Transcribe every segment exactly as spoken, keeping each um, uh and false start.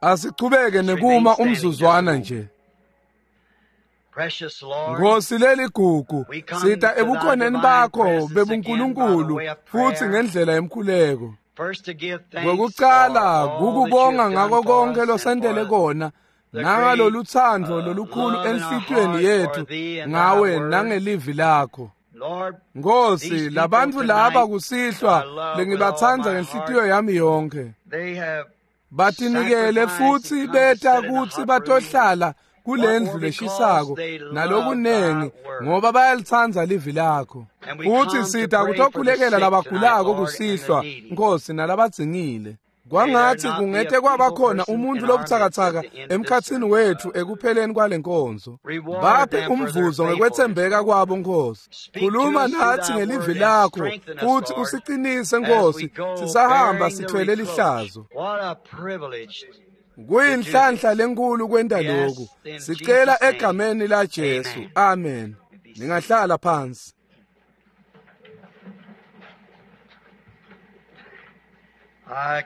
Asichubeke nekuma umzuzwana nje. Precious Lord, Nkosi leligugu, We come sita to thy ebukhoneni divine bakho presence bebuNkulunkulu again by the way of prayer. futhi ngendlela yemkhuleko. first to give thanks Ngokuqala for all that you kukubonga have done ngako for konke us and losentele for kona the nangalolu thando great, uh, lolukhulu love in our enhlitiyweni heart yethu for thee and thy ngawe word. nangelivi lakho. Lord, These Nkosi, people labantu laba tonight, kusihlwa I love with all lengibatsandza my ngenhlitiyo yami yonke. they have Batinikele sacrificed futhi and come to beta sit in the kutsi hot room. batohlala kulendlu What more leshisako because they love nalokunengi thy word. ngoba bayalitsandza livi lakho. And we Futhi come to sita pray for the kutokhulekela sick tonight, labagulako Lord, and kusihlwa the needy. Nkosi nalabadzingile. Kwangathi May there not be kungete a kwaba feeble khona person umuntu in our lobutsakatsaka midst at the end of this emkhatsini service. wethu ekupheleni kwale nkonzo. Reward Baphe them for their umvuzo ngekwetsembeka kwabo Nkosi. Speak to Khuluma us through nathi thy ngelivi word and lakho strengthen us, futhi Lord, usiqinise as we Nkosi go sisahamba bearing the sithwele reproach. lihlazo. What a privilege. Kuyinhlanhla lenkulu kwenta Yes, lokhu. in Sicela Jesus' name. egameni la Jesu. Amen. Amen. Ningahlala phansi. I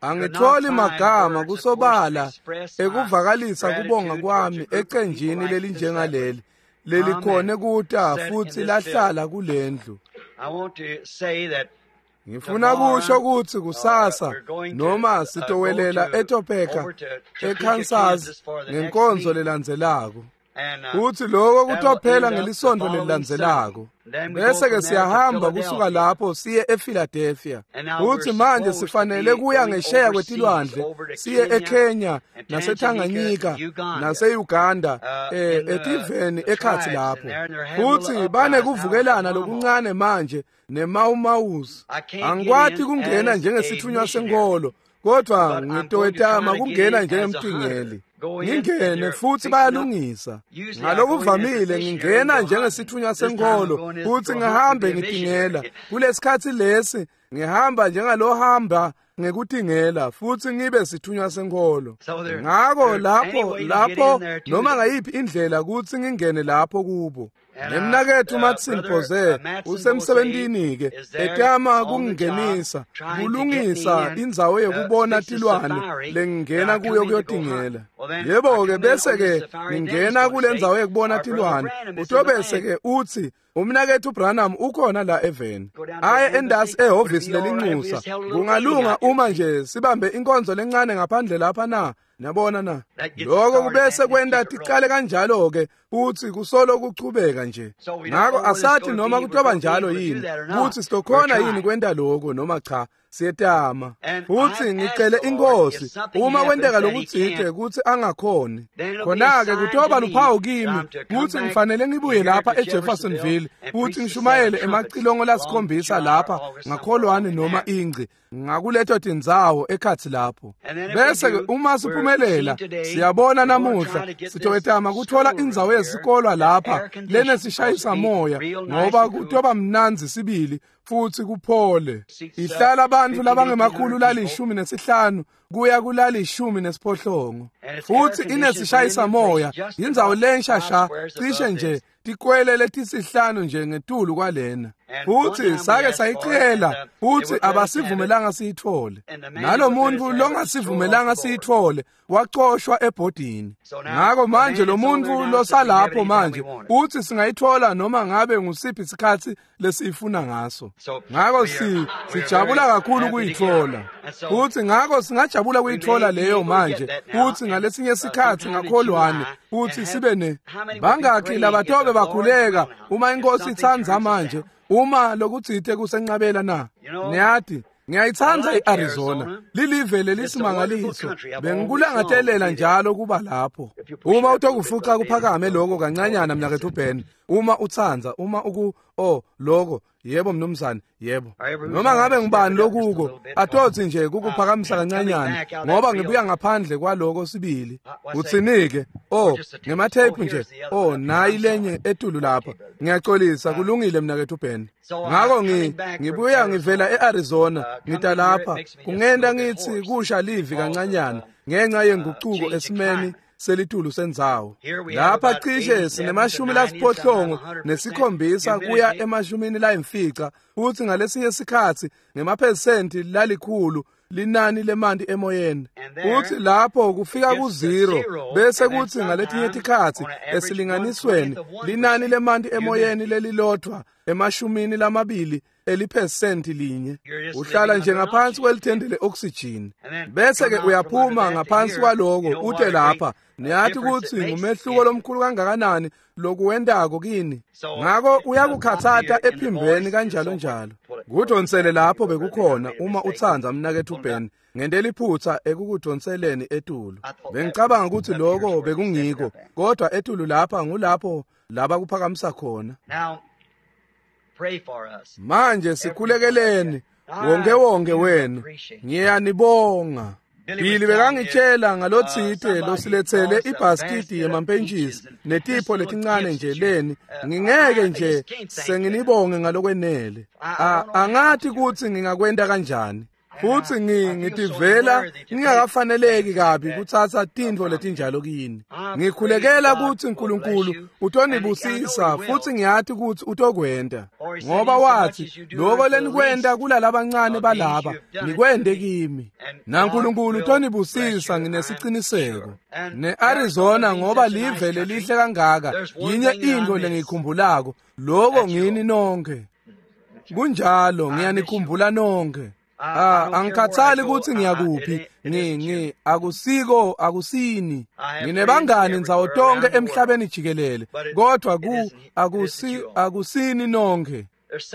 Angitholi find magama words, of kusobala course, to express my ekuvakalisa kubonga gratitude kwami towards a group of people ecenjini like this lelinjengaleli lelikhone kuta set in futhi this lahlala kulendlu. I want to say that Ngifuna Tomorrow, kusho ukuthi kusasa uh, we're going to, noma uh, sitowelela go to- eTopeka over to Topeka, eKansas Kansas for the next ngenkonzo meeting. lelandzelako. And, uh, Kuthi lokho that'll kutophela end up the ngelisonto following lelilandzelako. Sunday. Then we go Bese ke from there to siyahamba kusuka Philadelphia. lapho siye ePhiladelphia. And now Kuthi we're manje supposed to sifanele be kuya going ngesheya overseas, kwetilwandle over to siye Kenya eKenya and naseTanganyika Tanganyika, Uganda. nase-Uganda Uh, eh in the- etiveni the ekhathi tribes in lapho. there, and they're having a little Futhi uprising banekuvukelana now with the lokuncane manje neMaumausi. I can't get Angikwati in kungena as a njengesithunywa missionary. senkolo kodwa But I'm going to ngitowetama try to get kungena in as a njengemtingeli. hunter. Go in and Ngingene they're futhi fixing up. bayalungisa. Usually I go in as a Ngalokuvamile missionary ngingena and go hunting. njengesithunywa This time I'm senkolo going as futhi go hunt ngihambe and be a ngitingela. missionary. Kulesikhathi lesi ngihamba njengalohambe ngekutingela futhi ngibe sithunywa senkolo. So there- Ngakho there's any lapho way to get lapho in there to noma them. ngayiphi indlela kuthi ngingene lapho kubo. And, uh, Nemnakethu uh, Matson brother, Boze uh, Matson usemsebentini ke Boze is there etama on the job kungingenisa trying to get kulungisa me in, indzawo uh, yekubona fix the tilwane safari lengingena that I kuyo come in to go hunt. kuyotingela. Well, then, I Yebo come ke in bese on the ke safari, then he's ngingena gonna kule say, ndzawo yekubona "Our brother tilwane Branham is in the utobese land." ke uthi umnakethu Branham ukhona la eveni. Go down to Aye the endasi embassy. Would it ehhovisi be all right if we lelinxusa. just held a little meeting Kungalunga out there? uma nje sibambe inkonzo lencane ngaphandle lapha na. Niyabona na? That gets Lokho started kubese and kwenta keep it tiqale kanjalo ke futhi kusolo kuchubeka nje. So we don't Ngakho know whether it's asathi gonna noma be- we're kutoba gonna be njalo able to do yini that or not. kuthi sitokhona We're yini trying. kwenta lokho noma cha siyetama. And Futhi I've ngicele asked the Lord inkosi if something uma kwenteka happens that he lokutsite can't, kuthi angakhoni. then it'll be a Khona ke sign kutoba to me luphawu that kimi I'm to come kuthi back ngifanele ngibuye here lapha to eJeffersonville Jeffersonville and futhi preach the seven ngishumayele trumpets emacilongo along lasikhombisa July or lapha August, somewhere ngakholwane along noma there. ingci ngakuleto tindzawo ekhathi lapho. And then if we Bese ke do, uma we're siphumelela seeing today, siyabona we're gonna namuhla try to get this sitowetama kuthola schoolroom indzawo here yesikolwa that's lapha air conditioned, lenesishayisa supposed to be moya real nice ngoba and cool. kutoba mnandzi sibili futhi kuphole. Seats, uh, Ihlala abantu fifteen, labangemakhulu eighteen hundred people. lalishumi nesihlanu kuya kulalishumi nesiphohlongo. And it's air Futhi conditioned, inesishayisa brand new place, moya just indzawo about lensha five sha squares cishe above nje this. tikwele letisihlanu nje ngetulu kwalena. And one Futhi time we sake asked for it, and sayicela uh, they futhi wouldn't let us have it. abasivumelanga siyithole. And the man Nalo who wouldn't let us muntu have it was thrown off longasivumelanga the board. siyithole wacoshwa ebhodini. So now Ngakho the manje man lo that's on there muntu now says we can have it losalapho anytime we manje want it. uthi singayithola noma ngabe ngusiphi isikhathi lesiyifuna ngaso. So Ngakho we si are we are very sijabula kakhulu happy to get it. kuyithola. And so Futhi ngakho singajabula we may kuyithola be leyo able to get manje. that now Futhi and ngalesinye uh, isikhathi sometime in ngakholwane July and futhi have sibe ne how many would be bangakhi praying if labatobe the Lord's bakhuleka will now, uma if inkosi something itsandza turns us manje down. uma lokutsite kusenqabela na. You know, Niyati I ngiyayitsandza like iArizona Arizona. lilive It's a wonderful lelisimangaliso country. I've always longed to bengikulangatelela be there. njalo kuba lapho. If you push it Uma up a little bit, utokufuca Brother David, kuphakame it'll lokho hold kancanyana it. mnakethu Ben uma utsandza uma uku oh lokho yebo mnumzane yebo Or every who's noma on ngabe it, step ngubani it up just a lokuko little bit. 'Cause atothi nje uh, kukuphakamisa coming kancanyana back out that ngoba real, ngibuya ngaphandle kwaloko sibili uh, what's that? uthinike We're oh just a tape. Oh, ngematheyiphu nje here's the other oh one up here. nayi I'm lenye sorry. etulu lapha Okay, brother. ngiyaxolisa Uh, kulungile mnakethu Ben so uh, ngakho ngi coming back from ngibuya ngivela Arizona, eArizona uh, ngita coming here, it lapha makes me just a kungenta little bit ngithi hoarse kusha livi because of kancanyana uh, ngenxa uh, yenguquko change of esimeni climate. selitulu sendzawo. Lapha cishe sinemashumi lasiphohlongo nesikhombisa kuya emashumini layimfica, futsi ngalesinye sikhatsi ngemaphesenti lalikhulu linani lemanti emoyeni. Futsi lapho kufika ku-zero, bese kutsi ngaletinye tikhatsi esilinganisweni linani lemanti emoyeni lelilodvwa emashumini lamabili eliphesenti linye. Uhlala nje ngaphansi kwelithende le-oxygen, bese ke uyaphuma ngaphansi kwaloko ute lapha. Niyati kutsi ngumehluko lomkhulu kangakanani lokuwentako kini. Ngako uyakukhatsata ephimbeni kanjalo njalo. Kudonsele lapho bekukhona uma utsandza mnaketfu Ben, ngente liphutsa ekukudonseleni etulu. Bengicabanga kutsi loko bekungiko, kodwa etulu lapha ngulapho laba kuphakamisa khona. Manje sikhulekeleni wonke wonke wenu. Ngiyanibonga. Billy bekangitshela ngalotsite losiletsele ibhaskidi yemampentshisi netipho letincane nje leni. Ngingeke nje senginibonge ngalokwenele. Angathi kutsi ngingakwenta kanjani. Futsi ngitivela ngingakafaneleki kabi kutsatsa tintfo letinjalo kini. Ngikhulekela kutsi uNkulunkulu utonibusisa, futsi ngiyati kutsi utokwenta. Ngoba watsi, loko lenikwenta kulalabancane balaba, nikwente kimi. NaNkulunkulu utonibusisa, nginesiciniseko. Ne-Arizona ngoba live lelihle kangaka, yinye intfo lengiyikhumbulako, loko ngini nonkhe. Kunjalo, ngiyanikhumbula nonkhe. Ah, angikhathali kutsi ngiyakuphi, ngi ngi akusiko akusini. Nginebangani ndzawo tonke emhlabeni jikelele, kodwa ku akusi akusini nonkhe.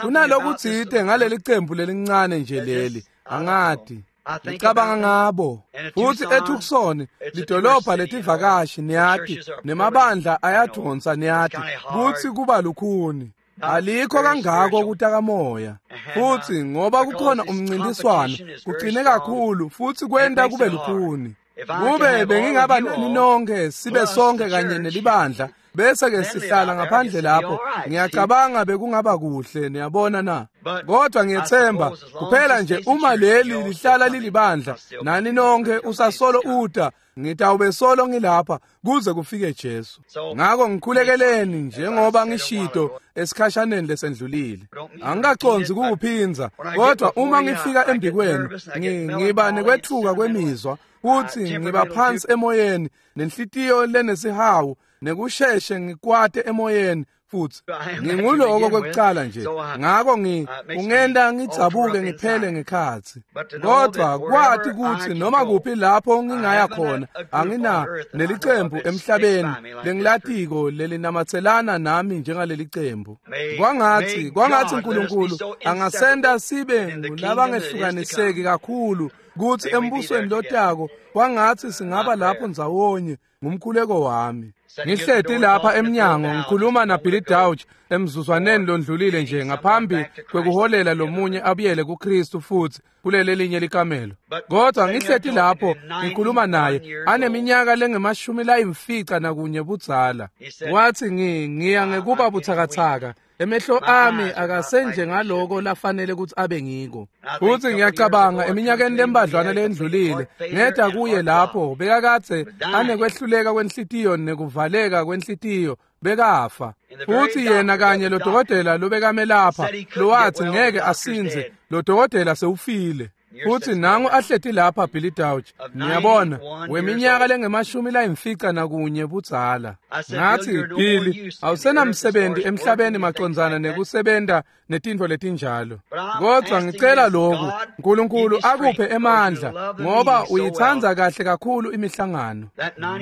Kunalokutsite ngaleli cembu lelincane nje leli, angati. Ngicabanga ngabo. Futsi eTucson, lidolobha letivakashi niyati, nemabandla ayadonsa niyati, kutsi kuba lukhuni. Alikho kangako kutakamoya. Futsi ngoba kukhona umncintiswano, kucine kakhulu futsi kwenta kube lukhuni. Kube bengingaba nani nonke sibe sonke kanye nelibandla, bese ke sihlala ngaphandle lapho, ngiyacabanga bekungaba kuhle, niyabona na. Kodwa ngiyethemba kuphela nje uma leli lihlala lilibandla, nani nonke usasolo uta, ngitawube solo ngilapha kuze kufike Jesu. Ngako ngikhulekeleni njengoba ngishito esikhashaneni lesendlulile. Angikacondzi kukuphindza, kodwa uma ngifika embikwenu ngiba nekwetfuka kwemizwa, futsi ngiba phansi emoyeni nenhlitiyo lenesihawu, nekusheshe ngikwate emoyeni futsi nginguloko kwekucala nje. Ngako ngi ungenta ngidzabuke ngiphele ngekhatsi. Kodwa kwati kutsi noma kuphi lapho ngingaya khona, angina nelicembu emhlabeni lengilatiko lelinamatselana nami njengalelicembu. Kwangatsi kwangatsi uNkulunkulu angasenta sibe ngulabangehlukaniseki kakhulu kutsi embusweni lotako kwangatsi singaba lapho ndzawonye, ngumkhuleko wami. Ngihleti lapha emnyango ngikhuluma na Billy Dauch emzuzwaneni londlulile nje ngaphambi kwekuholela lomunye abuyele kuKristu futsi kuleli linye likamelo. Kodwa ngihleti lapho ngikhuluma naye aneminyaka lengemashumi layimfica nakunye budzala. Wathi ngi ngiya ngekuba butsakatsaka, emehlo ami akasenje ngaloko lafanele kutsi abe ngiko. Futsi ngiyacabanga eminyakeni lembadlwana lendlulile ngeda kuye lapho bekakadze anekwehluleka kwenhlitiyo nekuvaleka kwenhlitiyo, bekafa. Futsi yena kanye lo dokotela lobekamelapha lowathi ngeke asinze, lo dokotela sewufile. Futsi nangu ahleti lapha Billy Dauch, niyabona, weminyaka lengemashumi layimfica nakunye budzala. Ngathi, Billy, awusenamsebenzi emhlabeni macondzana nekusebenta netintfo letinjalo. Kodwa ngicela lokhu, uNkulunkulu akuphe emandla, ngoba uyitsandza kahle kakhulu imihlangano.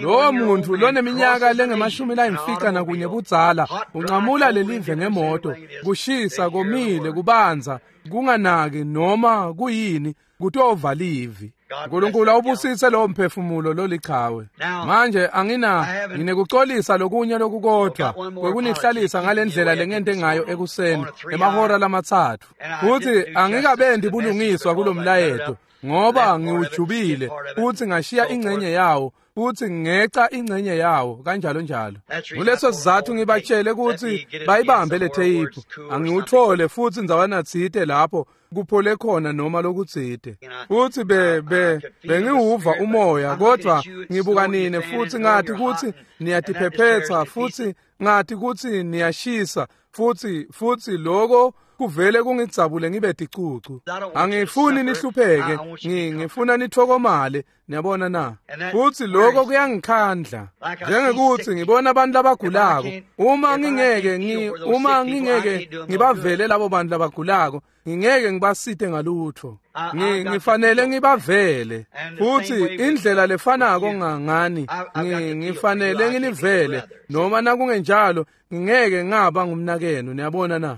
Lowo muntu loneminyaka lengemashumi layimfica nakunye budzala unqamula lelive ngemoto, kushisa, komile, kubanza, kunganaki noma kuyini, kutova livi. uNkulunkulu awubusise lowo mphefumulo lolichawe. Manje angina nginekucolisa lokunye lokukodwa kwekunihlalisa ngalendlela lengente ngayo ekuseni emahora lamatsatfu. Futhi angikabendi bulungiswa kulomlayeto ngoba ngiwujubile futhi ngashiya ingxenye yawo futhi ngeca ingxenye yawo kanjalo njalo. Kuleso sizathu ngibatshele ukuthi bayibambe le tape, angiwuthole futhi ndzawana tsite lapho kuphole khona noma lokutsite. Futhi be be bengiwuva umoya, kodwa ngibuka nine futhi ngathi ukuthi niyatiphephetha futhi ngathi ukuthi niyashisa futhi futhi lokho kuvele kungidzabule ngibe ticucu. Angifuni nihlupheke, ngifuna nithokomale, niyabona na? Futhi lokho kuyangikhandla njengekuthi ngibona abantu labagulako. Uma ngingeke ngi uma ngingeke ngibavele labo bantu labagulako, ngingeke ngibasite ngalutho. Ngifanele ngibavele. Futhi indlela lefanako ngani, ngifanele nginivele, noma nakungenjalo ngingeke ngaba ngumnakenu, niyabona na?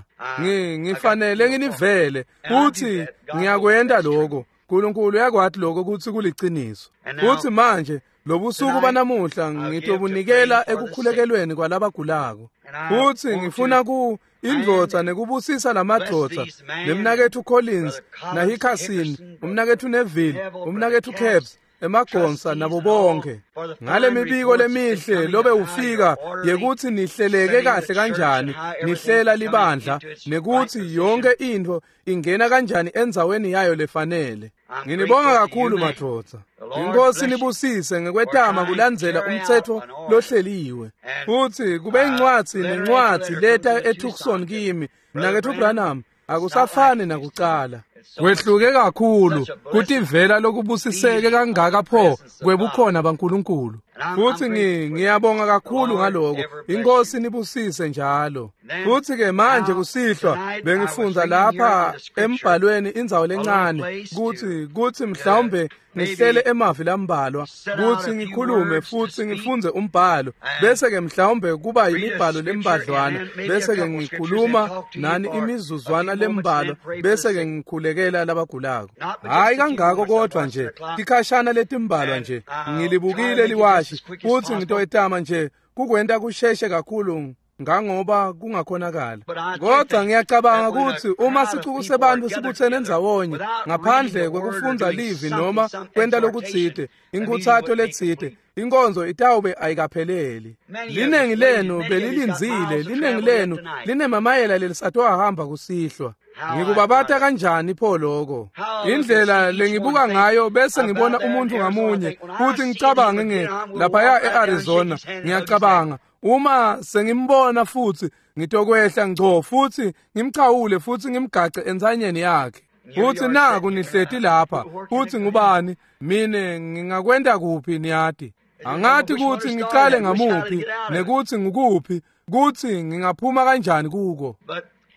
Ngifanele nginivele futhi ngiyakwenda lokho. uNkulunkulu uyakwathi lokho ukuthi kuliqiniso. Futhi manje lobusuku banamuhla ngitobunikela ekukhulekelweni kwalabagulako. Futhi ngifuna ku indvodza nekubusisa lamadvodza nemnakethu Collins naHickerson, umnakethu Neville, umnakethu Capps, emagonsa nabo bonke ngale mibiko lemihle lobe ufika yekuthi nihleleke kahle kanjani, nihlela libandla nekuthi yonke into ingena kanjani endzaweni yayo lefanele. Nginibonga kakhulu madvodza. Inkosi nibusise ngekwetama kulandzela umthetho lohleliwe. Futhi kube incwadzi nencwadzi leta eTucson kimi, mnakethu Branham, akusafani nakucala. Kwehluke kakhulu kutivela lokubusiseke kangaka pho kwebukhona baNkulunkulu. Futhi ngiyabonga kakhulu ngaloko. Inkosi nibusise njalo. Futhi ke manje kusihlwa bengifundza lapha embhalweni indzawo lencane kuthi kuthi mhlawumbe ngihlele emavi lambalwa kuthi ngikhulume futhi ngifunze umbhalo, bese ke mhlawumbe kuba yimibhalo lembadlwana, bese ke ngikhuluma nani imizuzwana lembalwa, bese ke ngikhulekela labagulako. Hayi kangako kodwa nje tikhashana letimbalwa nje ngilibukile liwashi futhi ngitoyetama nje kukwenta kusheshe kakhulu ngangoba kungakhonakala. Kodwa ngiyacabanga ukuthi uma sicuku sebantu sibuthene endzawonye ngaphandle kwekufundza livi noma kwenta lokutsite, inkuthato letsite, inkonzo itawube ayikapheleli. Linengi lenu belilindzile, linengi lenu linemamayela lelisatohamba kusihlwa. Ngikubabata kanjani pho lokho? Indlela lengibuka ngayo bese ngibona umuntu ngamunye futhi ngicabange nge laphaya eArizona, ngiyacabanga uma sengimbona futhi ngitokwehla ngco futhi ngimchawule futhi ngimgace entsanyeni yakhe. Futhi naku nihleti lapha futhi ngubani mine ngingakwenda kuphi niyati? Angathi kuthi ngicale ngamuphi nekuthi ngukuphi kuthi ngingaphuma kanjani kuko.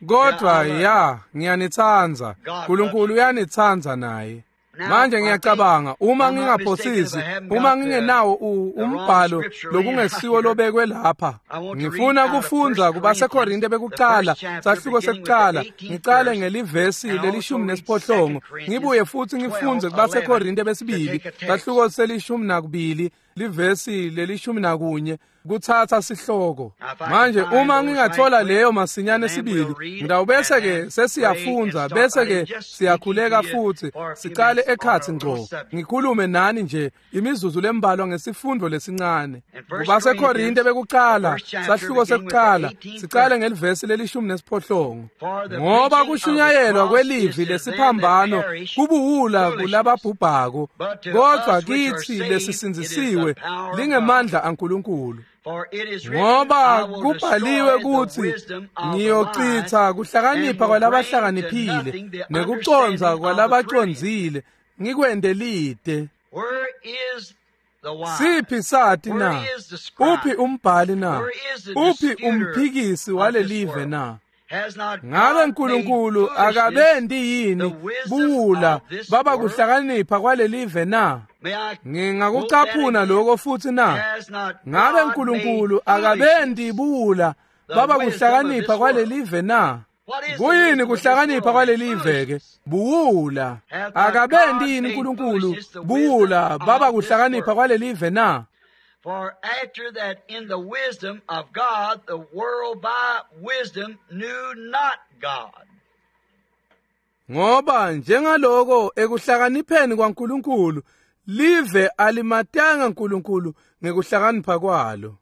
Kodwa ya ngiyanithanda, uNkulunkulu uyanithanda naye. Manje ngiyacabanga uma ngingaphosisi, uma ngingenawo umbhalo lokungesiwo lobekwe lapha, ngifuna kufundza kubaseKorinte bekucala sahluko sekucala, ngicale ngelivesi lelishumi nesiphohlongo, ngibuye futhi ngifunze kubaseKorinte besibili sahluko selishumi nakubili livesi lelishumi nakunye kuthatha sihloko. Manje uma ngingathola leyo masinyane sibili, ngitawubese ke sesiyafundza bese ke siyakhuleka futhi sicale ekhatsi ngco. Ngikhulume nani nje imizuzu lembalwa ngesifundo lesincane. KubaseKorinte bekucala sahluko sekucala, sicale ngelivesi lelishumi nesiphohlongo. Ngoba kushunyayelwa kwelivi lesiphambano kubuwula kulababhubhako, kodwa kithi lesisindzisiwe lingemandla aNkulunkulu. Ngoba kubhaliwe ukuthi ngiyochitha kuhlakanipha kwalabahlakaniphile nekucondza kwalabacondzile ngikwente lide. Siphi sati na? Uphi umbhali na? Uphi umphikisi walelive na? Ngabe uNkulunkulu akabendi yini buwula baba kuhlakanipha kwalelive na? Ngingakucaphuna lokho futhi na? Ngabe uNkulunkulu akabendi buwula baba kuhlakanipha kwalelive na? Kuyini kuhlakanipha kwalelive ke? Buwula. Akabendi yini uNkulunkulu buwula baba kuhlakanipha kwalelive na? For after that in the wisdom of God, the world by wisdom knew not God. Ngoba njengaloko ekuhlakanipheni kwaNkulunkulu live alimatanga uNkulunkulu ngekuhlakanipha kwalo.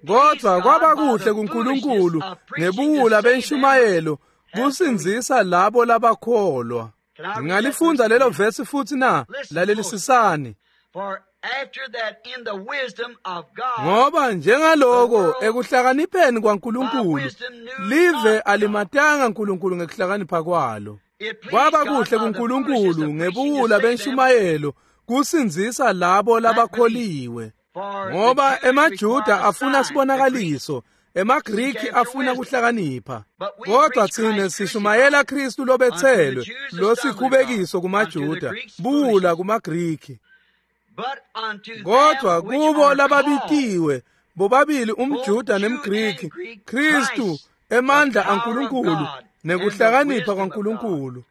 Kodwa kwaba kuhle kuNkulunkulu ngebuwula benshumayelo kusindzisa labo labakholwa. Ngingalifundza lelo vesi futhi na? Lalelisisani. Ngoba njengaloko ekuhlakanipheni kwaNkulunkulu live alimatanga uNkulunkulu ngekuhlakanipha kwalo. Kwaba kuhle kuNkulunkulu ngebuwula benshumayelo kusindzisa labo labakholiwe. Ngoba emaJuda afuna sibonakaliso, emaGriki afuna kuhlakanipha. Kodwa thina sishumayela Kristu lobethelwe, losikhubekiso kumaJuda, buwula kumaGriki. Kodwa kubo lababitiwe, bobabili umJuda nemGriki, Kristu emandla aNkulunkulu nekuhlakanipha kwaNkulunkulu.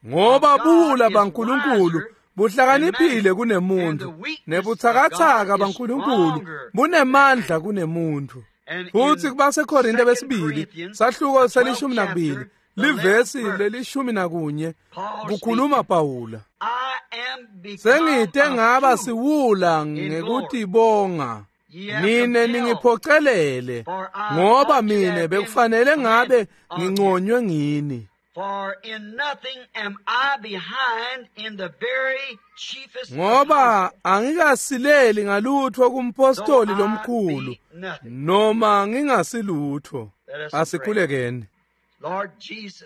Ngoba buwula baNkulunkulu buhlakaniphile kunemuntu, nebutsakatsaka baNkulunkulu bunemandla kunemuntu. Futhi kubaseKorinte besibili sahluko selishumi nakubili livesi lelishumi nakunye kukhuluma Pawula. Sengite ngaba siwula ngekutibonga, nine ningiphocelele, ngoba mine bekufanele ngabe nginconywe ngini. Ngoba angikasileli ngalutho kumpostoli lomkhulu, noma ngingasilutho. Asikhulekeni.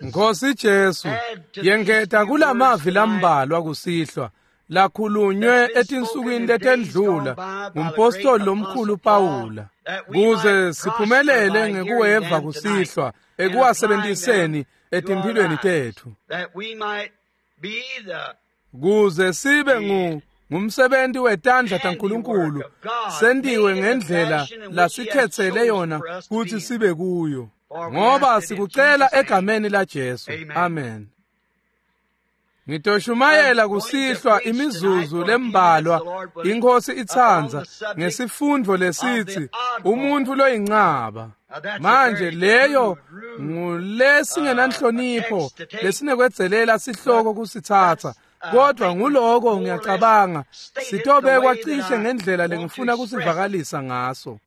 Nkosi Jesu, yengeta kulamavi lambalwa kusihlwa lakhulunywe etinsukwini letendlula ngumpostoli lomkhulu Pawula, kuze siphumelele ngekuweva kusihlwa ekuwasebenziseni etimphilweni tethu, kuze sibe ngu ngumsebenzi wetandla taNkulunkulu, sentiwe ngendlela lasikhetsele yona kutsi sibe kuyo. Ngoba sikucela egameni la Jesu. Amen. Ngitoshumayela kusihlwa imizuzu lembalwa, iNkosi itsandza, ngesifundvo lesitsi umuntu loyincaba. Manje leyo ngulesingenanhlonipho lesinekwedzelela sihloko kusitsatsa, kodwa nguloko ngiyacabanga sitobekwa cishe ngendlela lengifuna kusivakalisa ngaso.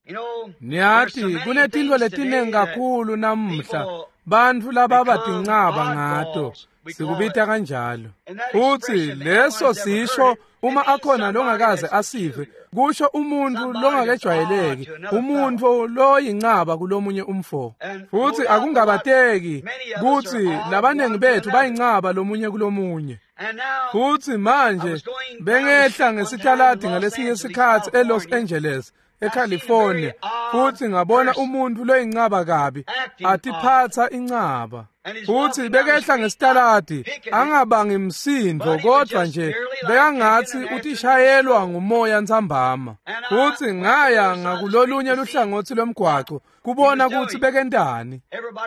Niyati kunetintfo letinengi kakhulu namuhla bantfu lababa tincaba ngato, sikubita kanjalo. Futsi leso sisho uma akhona longakaze asive, kusho umuntu longakejwayeleki, umuntu loyincaba kulomunye umfo. Futsi akungabateki kutsi labanengi bethu bayincaba lomunye kulomunye. Futsi manje bengehla ngesitaladi ngalesinye sikhatsi eLos Angeles, eCalifornia, futsi ngabona umuntu loyincaba kabi atiphatsa incaba. Futsi bekehla ngesitaladi angabangi msindo, kodwa nje bekangatsi utishayelwa ngumoya ntsambama. Futsi ngaya ngakulolunye luhlangotsi lomgwaco kubona kutsi bekentani.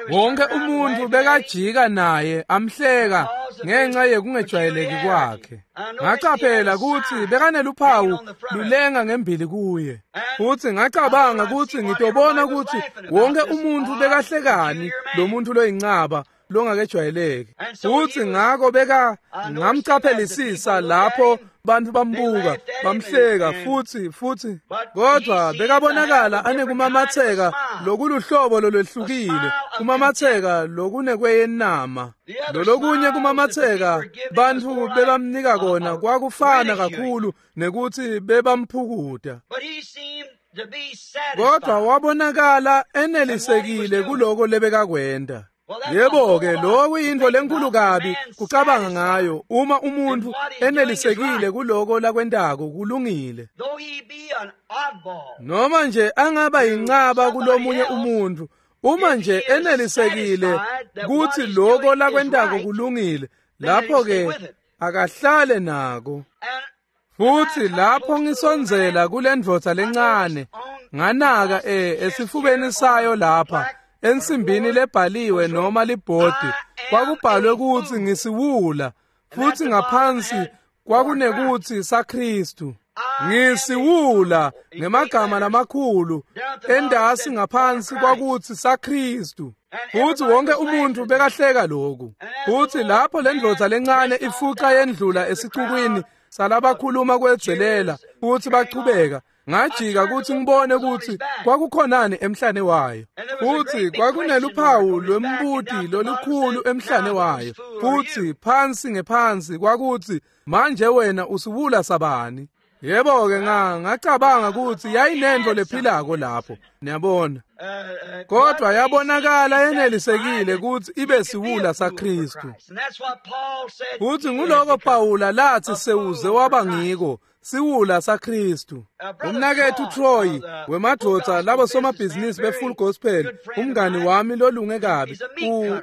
Wonke umuntu bekajika naye amhleka ngenxa yekungejwayeleki kwakhe. Ngacaphela kutsi bekaneluphawu lulenga ngembili kuye. Futsi ngacabanga kutsi ngitobona kutsi wonke umuntu bekahlekani lo muntu loyincaba longakejwayeleki. Futsi ngako beka ngamcaphelisisa lapho bantu bambuka bamhleka futsi futsi kodwa bekabonakala anekumamatheka lokuluhlobo lolwehlukile, kumamatheka lokunekweyenama. Lolokunye kumamatheka bantfu bebamnika kona kwakufana kakhulu nekutsi bebamphukuta. Kodwa wabonakala enelisekile kuloko lebekakwenta. Yebo-ke, lokhu yintfo lenkulu kabi kucabanga ngayo uma umuntu enelisekile kuloko lakwentako kulungile. Noma nje angaba yincaba kulomunye umuntu, uma nje enelisekile kutsi loko lakwentako kulungile, lapho-ke akahlale nako. Futsi lapho ngisondzela kulendvodza lencane, nganaka eh esifubeni sayo lapha ensimbini lebhaliwe noma libhodi kwakubhalwe kutsi ngisiwula, futsi ngaphansi kwakunekutsi saKristu. Ngisiwula ngemagama lamakhulu endasi ngaphansi kwakuthi saKristu. Futhi wonke umuntu bekahleka lokhu. Futhi lapho lendvodza lencane ifuca yendlula esicukwini salabakhuluma kwedzelela futhi bachubeka, ngajika ukuthi ngibone ukuthi kwakukhonani emhlane wayo. Futhi kwakuneluphawu lwembuti lolukhulu emhlane wayo. Futhi phansi ngephansi kwakuthi, manje wena usiwula sabani? Yebo-ke nga ngacabanga ukuthi yayinento lephilako lapho, niyabona. Kodwa yabonakala yenelisekile ukuthi ibe siwula saKristu. Futhi nguloko Pawula lathi sewuze waba ngiko, siwula saKristu. Umnakethu Troy wemadvodza labo somabhizinisi be-Full Gospel, umngani wami lolunge kabi,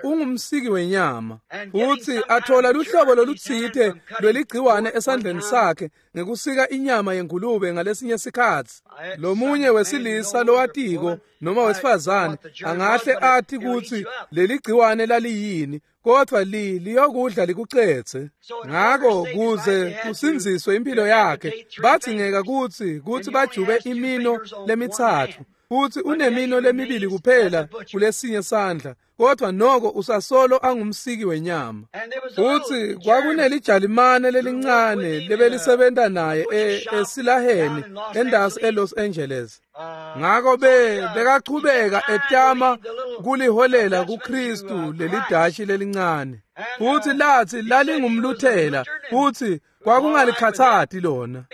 ungumsiki wenyama. Futhi athola luhlobo lolutsite lweligciwane esandleni sakhe ngekusika inyama yengulube ngalesinye sikhatsi. Lomunye wesilisa lowatiko noma wesifazane angahle athi kutsi leligciwane laliyini, kodwa li liyokudla likucetse. Ngako kuze kusindziswe impilo yakhe bathingeka kutsi kutsi bajube imino lemitsatfu, futhi unemino lemibili kuphela kulesinye sandla, kodwa noko usasolo angumsiki wenyama. Futhi kwakunelijalimane lelincane lebelisebenta naye esilaheni endasi eLos Angeles. Ngako be bekachubeka etama kuliholela kuKristu lelidashi lelincane. Futhi lathi lalingumluthela, futhi kwakungalikhathati lona.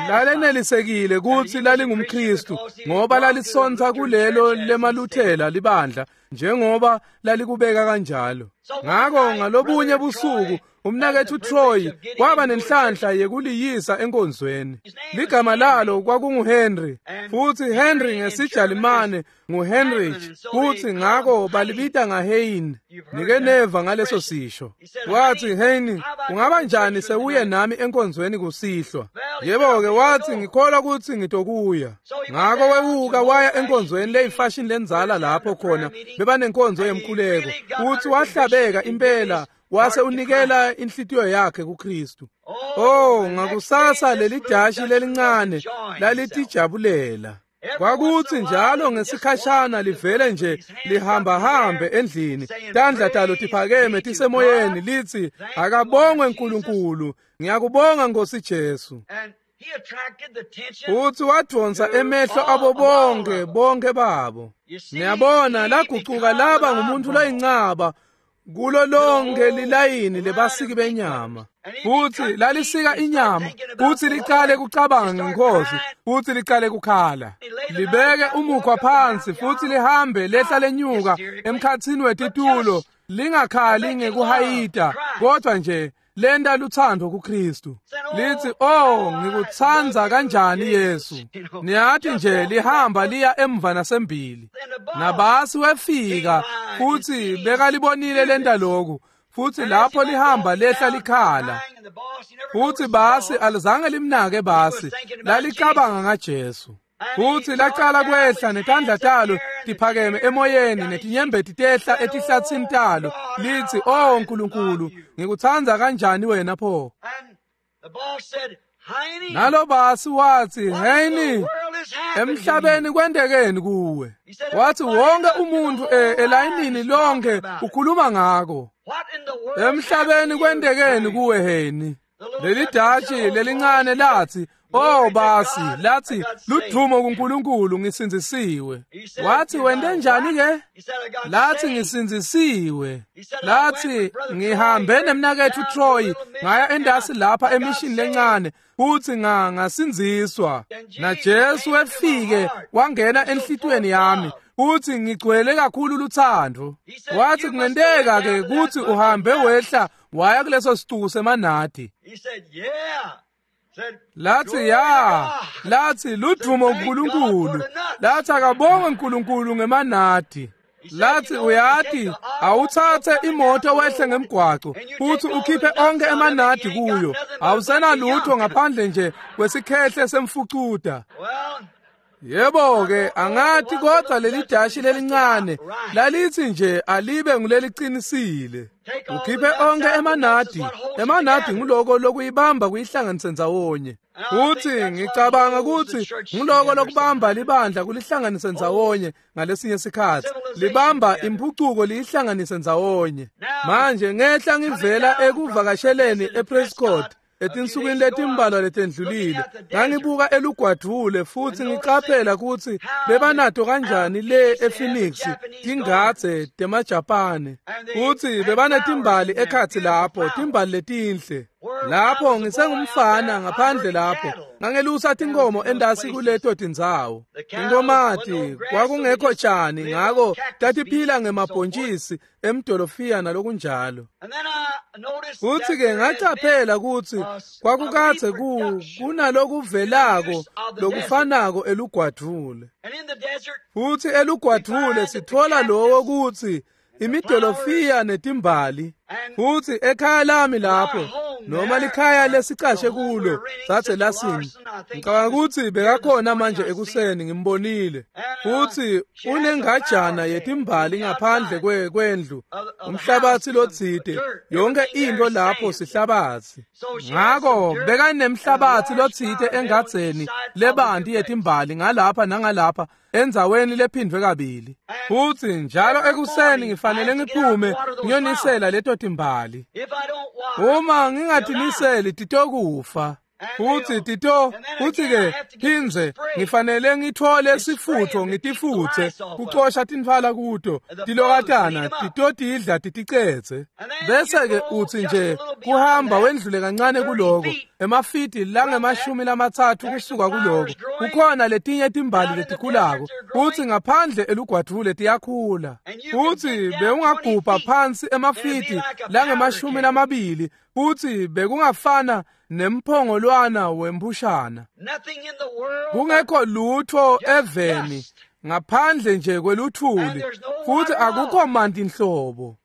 Lalenelisekile kutsi lalingumKristu ngoba lalisonta kulelo lemaluthela libandla njengoba lalikubeka kanjalo. Ngako ngalobunye busuku umnakethu Troy kwaba nenhlanhla yekuliyisa enkonzweni. Ligama lalo kwakunguHenry, futhi Henry ngesiJalimane nguHenrich, futhi ngako balibita ngaHein. Nike neva ngaleso sisho. Wathi, Hein, ungaba njani sewuye nami enkonzweni kusihlwa? Yebo-ke, wathi, ngikholwa ukuthi ngitokuya. Ngako wewuka waya enkonzweni leyifashion lenzala lapho khona bebanenkonzo yemkhuleko. Futhi wahlabeka impela wase unikela inhlitiyo yakhe kuKristu. Oh, ngakusasa lelidashi lelincane lalitijabulela. Kwakuthi njalo ngesikhashana livele nje lihamba hambe endlini, tandla talo tiphakeme tisemoyeni lithi, akabongwe uNkulunkulu, ngiyakubonga Nkosi Jesu. Futhi wadonsa emehlo abo bonke bonke babo. Niyabona lagucuka laba ngumuntu loyincaba kulo lonke lilayini lebasiki benyama. Futhi lalisika inyama, futhi liqale kucabanga ngenkosi, futhi liqale kukhala. Libeke umukhwa phansi futhi lihambe lehla lenyuka emkhathini wetitulo, lingakhali ngekuhayita, kodwa nje lenda luthando kuKristu. Lithi, oh, ngikuthanda kanjani Yesu. Niyathi nje lihamba liya emva nasembili. Nabasi wefika futhi bekalibonile lenda lokhu, futhi lapho lihamba lehla likhala. Futhi basi alizange limnake basi, lalicabanga ngaJesu. Futhi laqala kwehla netandla talo tiphakeme emoyeni netinyembeti tehla etihlatsini talo, lithi, oh Nkulunkulu, ngikuthanda kanjani wena pho. Nalo basi wathi, Heini, emhlabeni kwentekeni kuwe? Wathi wonke umuntu elayinini lonke ukhuluma ngako. Emhlabeni kwentekeni kuwe Heini? Leli dashi lelincane lathi, oh basi, lathi ludumo kuNkulunkulu, ngisindzisiwe. Wathi wente njani ke? Lathi ngisindzisiwe. Lathi ngihambe nemnakethu Troy ngaya endasi lapha emishini lencane, futhi nga ngasindziswa. Na Jesu wefike wangena enhlitweni yami, futhi ngigcwele kakhulu luthando. Wathi kungenteka ke ukuthi uhambe wehla waya kuleso sicuku semanadi. Lathi ya, lathi ludumo kuNkulunkulu. Lathi akabongwe uNkulunkulu ngemanadi. Lathi uyati awuthathe imoto wehle ngemgwaco futhi ukhiphe onke emanadi kuyo, awusenalutho ngaphandle nje kwesikhehle semfucuda. Yebo-ke, angathi kodwa leli dashi lelincane lalithi nje alibe nguleliqinisile. Ukhiphe onke emanadi, emanadi nguloko lokuyibamba kuyihlanganise ndzawonye. Futhi ngicabanga ukuthi nguloko lokubamba libandla kulihlanganise ndzawonye ngalesinye sikhathi. Libamba impucuko liyihlanganise ndzawonye. Manje ngehla ngivela ekuvakasheleni ePrescott etinsukwini letimbalwa letendlulile, ngangibuka elugwadvule futhi ngiqaphela ukuthi bebanato kanjani le ePhoenix tingadze temaJapane, futhi bebanetimbali ekhatsi lapho, timbali letinhle. Lapho ngisengumfana ngaphandle lapho ngangelusa tinkomo endasi kuleto tindzawo. Tinkomati kwakungekho tjani, ngako tatiphila ngemabhontjisi emdolofiya nalokunjalo. Futhi-ke ngacaphela ukuthi kwakukadze ku kunalokuvelako lokufanako elugwadvule. Futhi elugwadvule sithola lowo kutsi imidolofiya netimbali. Futhi ekhaya lami lapho, noma likhaya lesicashe kulo, sathe lasini. Ngicabanga ukuthi bekakhona manje ekuseni, ngimbonile. Futhi unengajana yetimbali ngaphandle kwe kwendlu, umhlabathi lotsite, yonke into lapho sihlabathi. Ngako bekanemhlabathi lotsite engadzeni lebanti yetimbali ngalapha nangalapha endzaweni lephindvwe kabili. Futhi njalo ekuseni ngifanele ngiphume ngiyonisela leto timbali. Uma ngingatiniseli titokufa. Futhi tito futhi-ke phindze ngifanele ngithole sifutho ngitifutse kucosha tintfwala kuto tilokatana titotidla titicetse. Bese-ke utsi nje kuhamba wendlule kancane kuloko emafidi langemashumi lamatsatfu kusuka kuloko kukhona letinye timbali letikhulako, futsi ngaphandle elugwadvule tiyakhula. Futsi bewungagubha phansi emafidi langemashumi lamabili, futsi bekungafana nemphongolwana wempushana. Kungekho lutho eveni ngaphandle nje kweluthuli, futhi akukho manti nhlobo.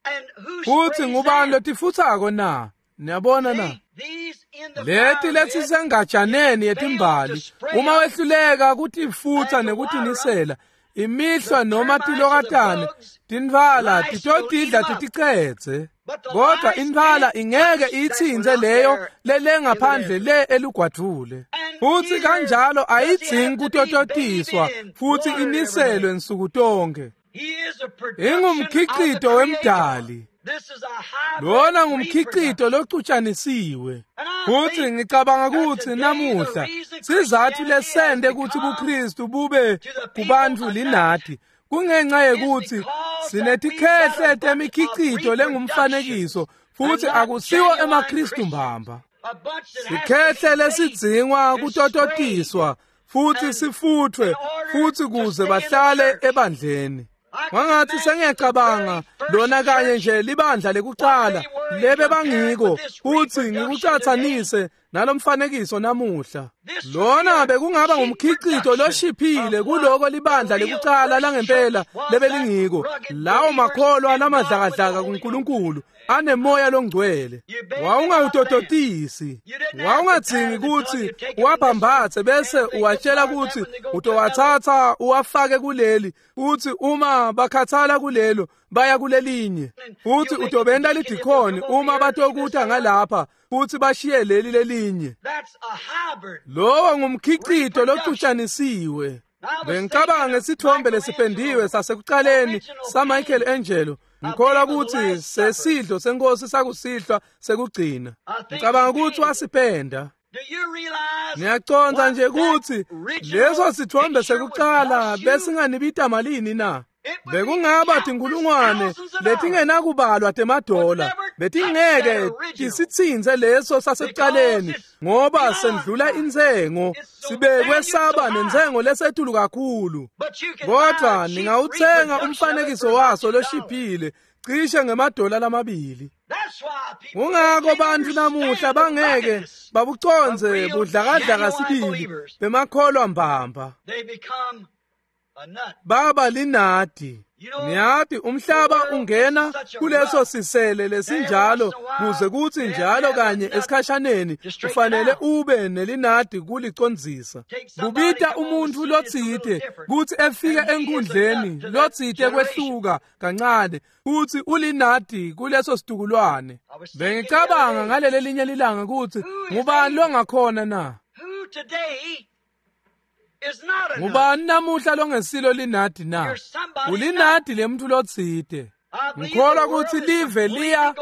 Futhi ngubani lotifutsako na? Niyabona na? Leti letisengajaneni yetimbali, uma wehluleka kutifutsa nekutinisela, imihlwa noma tilokatane tintfwala titotidla titicetse. Kodwa intfwala ingeke iyitsintse leyo lelengaphandle le elugwadvule. Futhi kanjalo ayidzingi kutototiswa futhi iniselwe nsuku tonke. Ingumkhicito wemdali. Lona ngumkhicito locutshanisiwe. Futhi ngicabanga ukuthi namuhla sizathu lesende ukuthi buKristu bube kubantu linadi kungenxa yekuthi sinetikhehle temikhicito lengumfanekiso, futhi akusiwo emaKristu mbamba. Sikhehle lesidzingwa kutototiswa futhi sifuthwe futhi kuze bahlale ebandleni. Wangathi sengiyacabanga lona kanye nje libandla lekucala lebe bangiko, futhi ngikucathanise nalomfanekiso namuhla. Lona bekungaba ngumkhicito loshiphile kuloko libandla lekucala langempela lebelingiko, lawo makholwa lamadlakadlaka kuNkulunkulu anemoya longcwele. Wawungawutototisi, wawungadzingi kutsi uwabhambathe bese uwatshela ukuthi utowathatha uwafake kuleli, uthi uma bakhathala kulelo baya kulelinye. Futhi utobenta lidikhoni uma batokuta ngalapha futhi bashiye leli lelinye. Lowo ngumkhicito locutshanisiwe. Bengicabanga ngesithombe lesipendiwe sasekuqaleni saMichelangelo. Ngikholwa ukuthi sesidlo senkosi sakusihlwa sekugcina. Ngicabanga ukuthi wasipenda. Ngiyacondza nje ukuthi leso sithombe sekuqala besinganibita malini na? Bekungaba tinkulungwane letingenakubalwa temadola, betingeke tisitsintse leso sasekuqaleni, ngoba sendlula intsengo, sibekwe saba nentsengo lesetulu kakhulu. Kodwa ningawuthenga umfanekiso waso loshiphile cishe ngemadola lamabili. Kungako bantfu namuhla bangeke babucondze budlakadlaka sibili bemakholwa mbamba. Baba linadi. Niyati umhlaba ungena kuleso sisele lesinjalo kuze kutsi njalo kanye esikhashaneni ufanele ube nelinadi kulicondzisa. Kubita umuntfu lotsite kutsi efike enkundleni lotsite kwehluka kancane kutsi ulinadi kuleso situkulwane. Bengicabanga ngaleli linye lilanga kutsi ngubani longakhona na? Ngubani namuhla longesilo linadi na? Ulinadi lemuntu lotsite. Ngikholwa kutsi live liya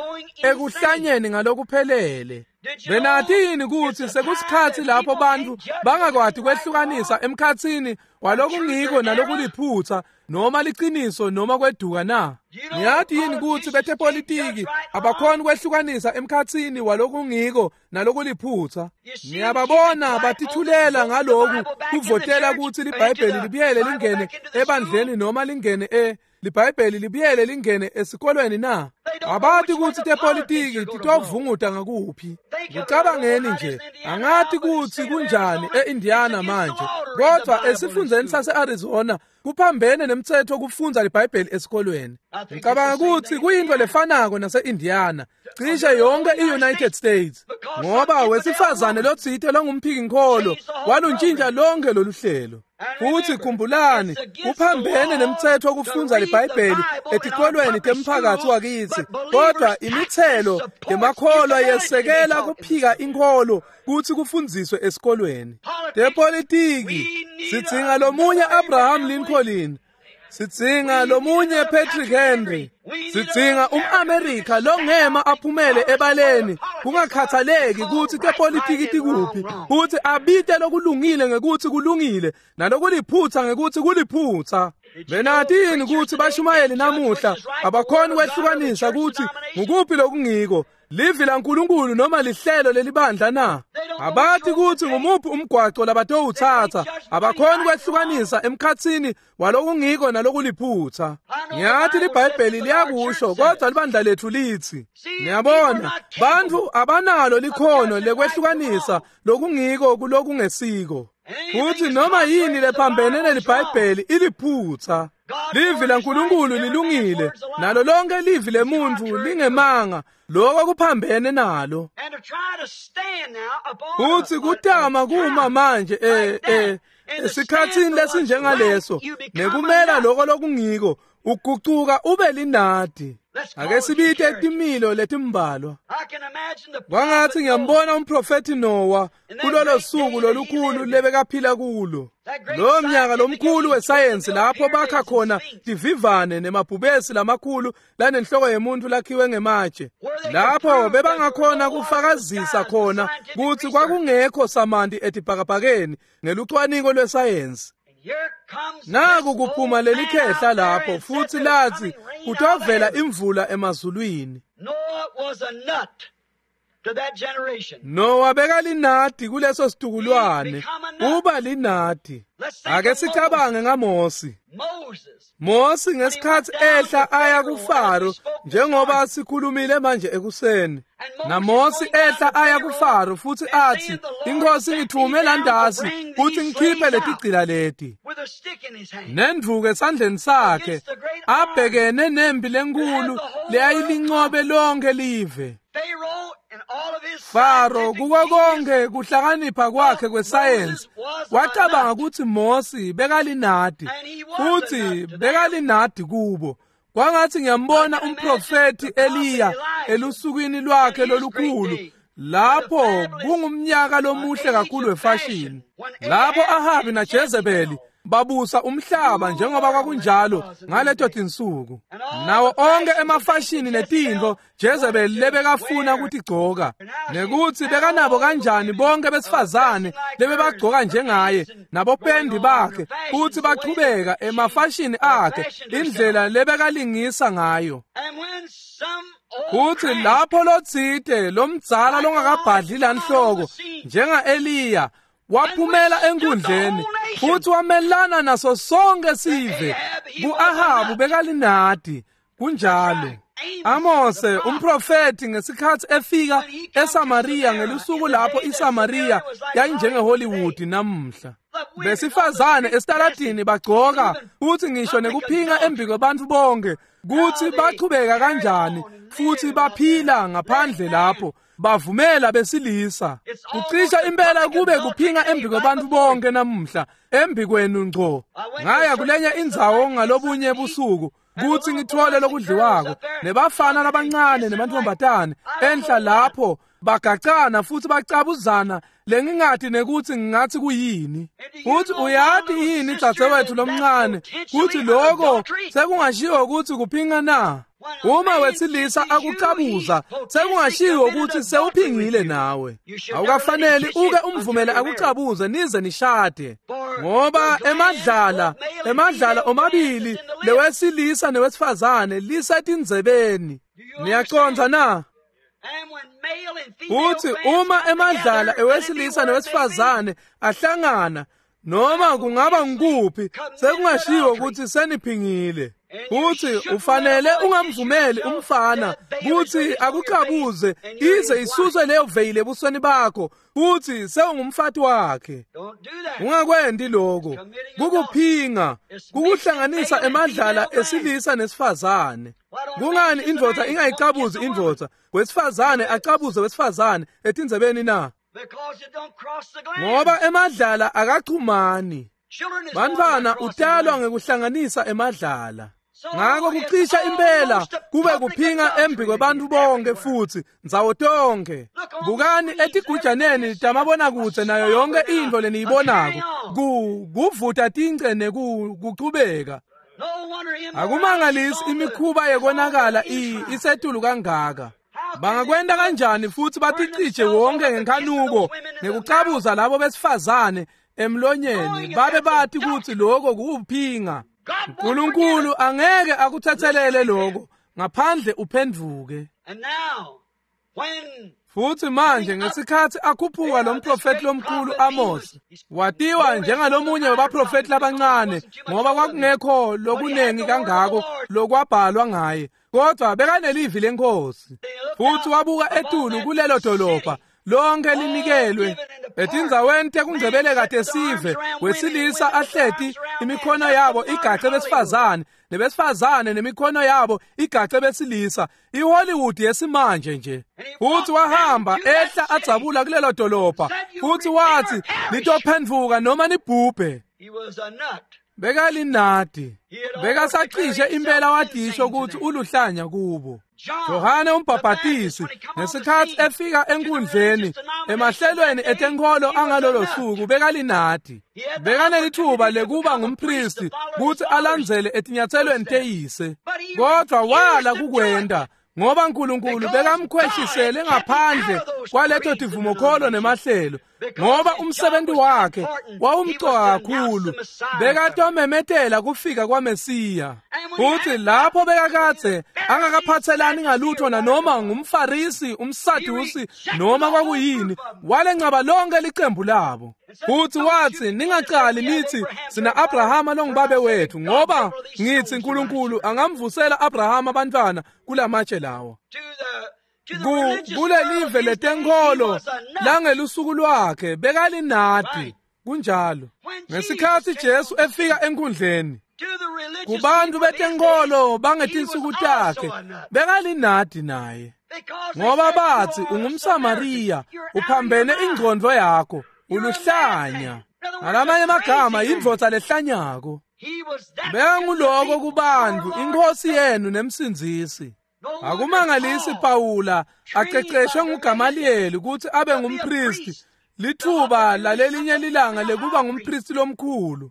ekuhlanyeni ngalokuphelele. Benati yini kutsi sekusikhatsi lapho bantfu bangakwati kwehlukanisa emkhatsini walokungiko nalokuliphutsa noma liciniso noma kweduka na? Niyati yini kutsi betepolitiki abakhoni kwehlukanisa emkhatsini walokungiko nalokuliphutsa? Niyababona batithulela ngaloku kuvotela kutsi liBhayibheli libuyele lingene ebandleni noma lingene e liBhayibheli libuyele lingene esikolweni na? Abati kutsi tepolitiki titovunguta ngakuphi. Ngicabangeni nje, angati kutsi kunjani e-Indiana manje, kodvwa esifundzeni sase-Arizona kuphambene nemtsetfo kufundza liBhayibheli esikolweni. Ngicabanga kutsi kuyintfo lefanako nase-Indiana, cishe yonke i-United States, ngoba wesifazane lotsite longumphiki-nkholo waluntshintsha lonke lolu hlelo. Futsi khumbulani, kuphambene nemtsetfo kufundza liBhayibheli etikolweni temphakatsi wakitsi, kodvwa imitselo yemakholwa yesekela kuphika inkholo kutsi kufundziswe esikolweni. Tepolitiki, sidzinga lomunye Abraham Lincoln, sidzinga lomunye Patrick Henry, sidzinga um-Amerika longema aphumele ebaleni kungakhathaleki kutsi tepolitiki tikuphi, kutsi abite lokulungile ngekutsi kulungile nalokuliphutsa ngekutsi kuliphutsa. Benati yini kutsi bashumayeli namuhla abakhoni kwehlukanisa kutsi ngukuphi lokungiko, livi laNkulunkulu noma lihlelo lelibandla na? Abati kutsi ngumuphi umgwaco labatowutsatsa, abakhoni kwehlukanisa emkhatsini walokungiko nalokuliphutsa. Ngiyati liBhayibheli liyakusho, kodvwa libandla letfu litsi. Niyabona, bantfu abanalo likhono lekwehlukanisa lokungiko kulokungesiko. Futsi noma yini lephambene neliBhayibheli iliphutsa. Livi laNkulunkulu lilungile, nalo lonke livi lemuntfu lingemanga, lokho kuphambene nalo. Futsi kutama kuma manje eh eh esikhatsini lesinjengaleso nekumela lokho lokungiko, ugucuka ube linadi. Ake sibite timilo letimbalwa. Kwangatsi ngiyambona umprofethi Noah kulolo suku lolukhulu lebekaphila kulo. Lo mnyaka lomkhulu wesayensi lapho bakha khona tivivane nemabhubesi lamakhulu lanenhloko yemuntu lakhiwe ngematshe, lapho bebangakhona kufakazisa khona kutsi kwakungekho samanti etibhakabhakeni ngelucwaningo lwesayensi. Naku kuphuma lelikhehla lapho futsi latsi kutovela imvula emazulwini. Noah bekalinadi kuleso situkulwane, uba linadi. Ake sicabange ngaMosi. Mosi ngesikhatsi ehla aya kuFaro, njengoba sikhulumile manje ekuseni. NaMosi ehla aya kuFaro futsi atsi, "Inkosi ngithume landasi kutsi ngikhiphe letigcila leti." Nendvuku esandleni sakhe, abhekene nempi lenkulu leyayilincobe lonke live. Faro kuko konke kuhlakanipha kwakhe kwesayensi wacabanga kutsi Mosi bekalinadi, futsi bekalinadi kubo. Kwangatsi ngiyambona umprofethi Eliya elusukwini lwakhe lolukhulu, lapho kungumnyaka lomuhle kakhulu wefashini, lapho Ahabi naJezebeli babusa umhlaba njengoba kwakunjalo ngaleto tinsuku, nawo onke emafashini netintfo Jezebeli lebekafuna kutigcoka, nekutsi bekanabo kanjani bonke besifazane lebebagcoka njengaye nabopendi bakhe, futsi bachubeka emafashini akhe indlela lebekalingisa ngayo. Futsi lapho lotsite lomdzala longakabhadli lanhloko njenga-Eliya waphumela enkundleni futsi wamelana naso sonke sive. Ku-Ahabu bekalinadi kunjalo. Amose umprofethi ngesikhatsi efika eSamaria ngelusuku lapho iSamaria yayinjenge-Hollywood namuhla. Besifazane esitaladini bagcoka futhi ngisho nekuphinga embi kwebantfu bonke kutsi bachubeka kanjani futhi baphila ngaphandle lapho bavumela besilisa. Kucisha impela kube kuphinga embi kwebantfu bonke namuhla embi kwenu ngco. Ngaya kulenye indzawo ngalobunye busuku kutsi ngithole lokudliwako nebafana labancane nemantfombatane enhla lapho bagacana futhi bacabuzana lengingathi nekuthi ngingathi kuyini. Futhi uyati yini dzadzewethu lomncane kutsi loko sekungashiwo kutsi kuphinga na? Uma wesilisa akucabuza sekungashiwo kutsi sewuphingile nawe. Awukafaneli uke umvumele akucabuze nize nishade, ngoba emadlala emadlala omabili lewesilisa newesifazane lisetindzebeni. Niyacondza na? Uthi uma emadlala ewesilisa newesifazane ahlangana noma kungaba ngikuphi sekungashiwo ukuthi seniphingile. Uthi ufanele ungamvumeli umfana kuthi akucabuze ize isuswe leyo veyile ebusweni bakho uthi sewungumfati wakhe. Ungakwendi lokho, kukuphinga, kukuhlanganisa emadlala esilisa nesifazane. Kungani indvodza ingayicabuzi indvodza, wesifazane acabuze wesifazane etindzebeni na? Ngoba emadlala akachumani. Bantfwana utalwa ngekuhlanganisa emadlala. Ngako kucisha impela kube kuphinga embi kwebantfu bonke futhi ndzawo tonke. Bukani etigujaneni tamabonakudze nayo yonke intfo leniyibonako ku kuvuta tince nekuchubeka. Akumangalisi imikhuba yekonakala isetulu kangaka. Bangakwenta kanjani futhi baticije wonke ngenkhanuko ngekucabuza labo besifazane emlonyeni babe bathi kutsi lokho kuwuphinga. uNkulunkulu angeke akuthethelele lokho ngaphandle uphenduke. Futhi manje ngesikhathi akhuphuka lo mprofeti lomkhulu Amos, watiwa njengalomunye wabaprofeti labancane ngoba kwakungekho lokunengi kangako lokwabhalwa ngaye, kodwa bekanelivi lenkosi. Futhi wabuka etulu kulelo dolobha lonke linikelwe etindzaweni tekungcebeleka tesive, wesilisa ahleti imikhono yabo igace besifazane nebesifazane nemikhono yabo igace besilisa, iHollywood yesimanje nje. Futhi wahamba ehla adzabula kulelo dolobha futhi wathi nitophenduka noma nibhubhe. Bekalinadi, bekasacishe impela wadisho ukuthi uluhlanya kubo. Yohane umbhabhatisi ngesikhathi efika enkundleni emahlelweni etenkolo angalolo suku bekalinadi. Bekanelithuba lekuba ngumpristi kutsi alandzele etinyatselweni teyise, kodwa wala kukwenta ngoba uNkulunkulu bekamkhweshisele ngaphandle kwaleto tivumokholo nemahlelo, ngoba umsebenzi wakhe wawumcoka kakhulu, bekatomemetela kufika kwaMesiya. Futhi lapho bekakadze angakaphathelani ngalutho nanoma ngumFarisi, umSadusi noma kwakuyini, walencaba lonke licembu labo. Futhi wathi ningaqali nithi sina Abrahama longubabe wethu, ngoba ngithi uNkulunkulu angamvusela Abrahama abantwana kulamatshe lawo. Kulelive letenkolo langelusuku lwakhe bekalinadi. Kunjalo. Ngesikhathi Jesu efika enkundleni kubantu betenkolo bangetinsuku takhe bekalinadi naye, ngoba bathi ungumSamariya, uphambene ingqondo yakho, uluhlanya. Ngalamanye amagama indvodza lehlanyako. Bekanguloko kubantu, inkosi yenu nemsindzisi. Akumangalisi Pawula aqeqeshwe nguGamaliyeli kutsi abe ngumpristi, lithuba lalelinye lilanga lekuba ngumpristi lomkhulu.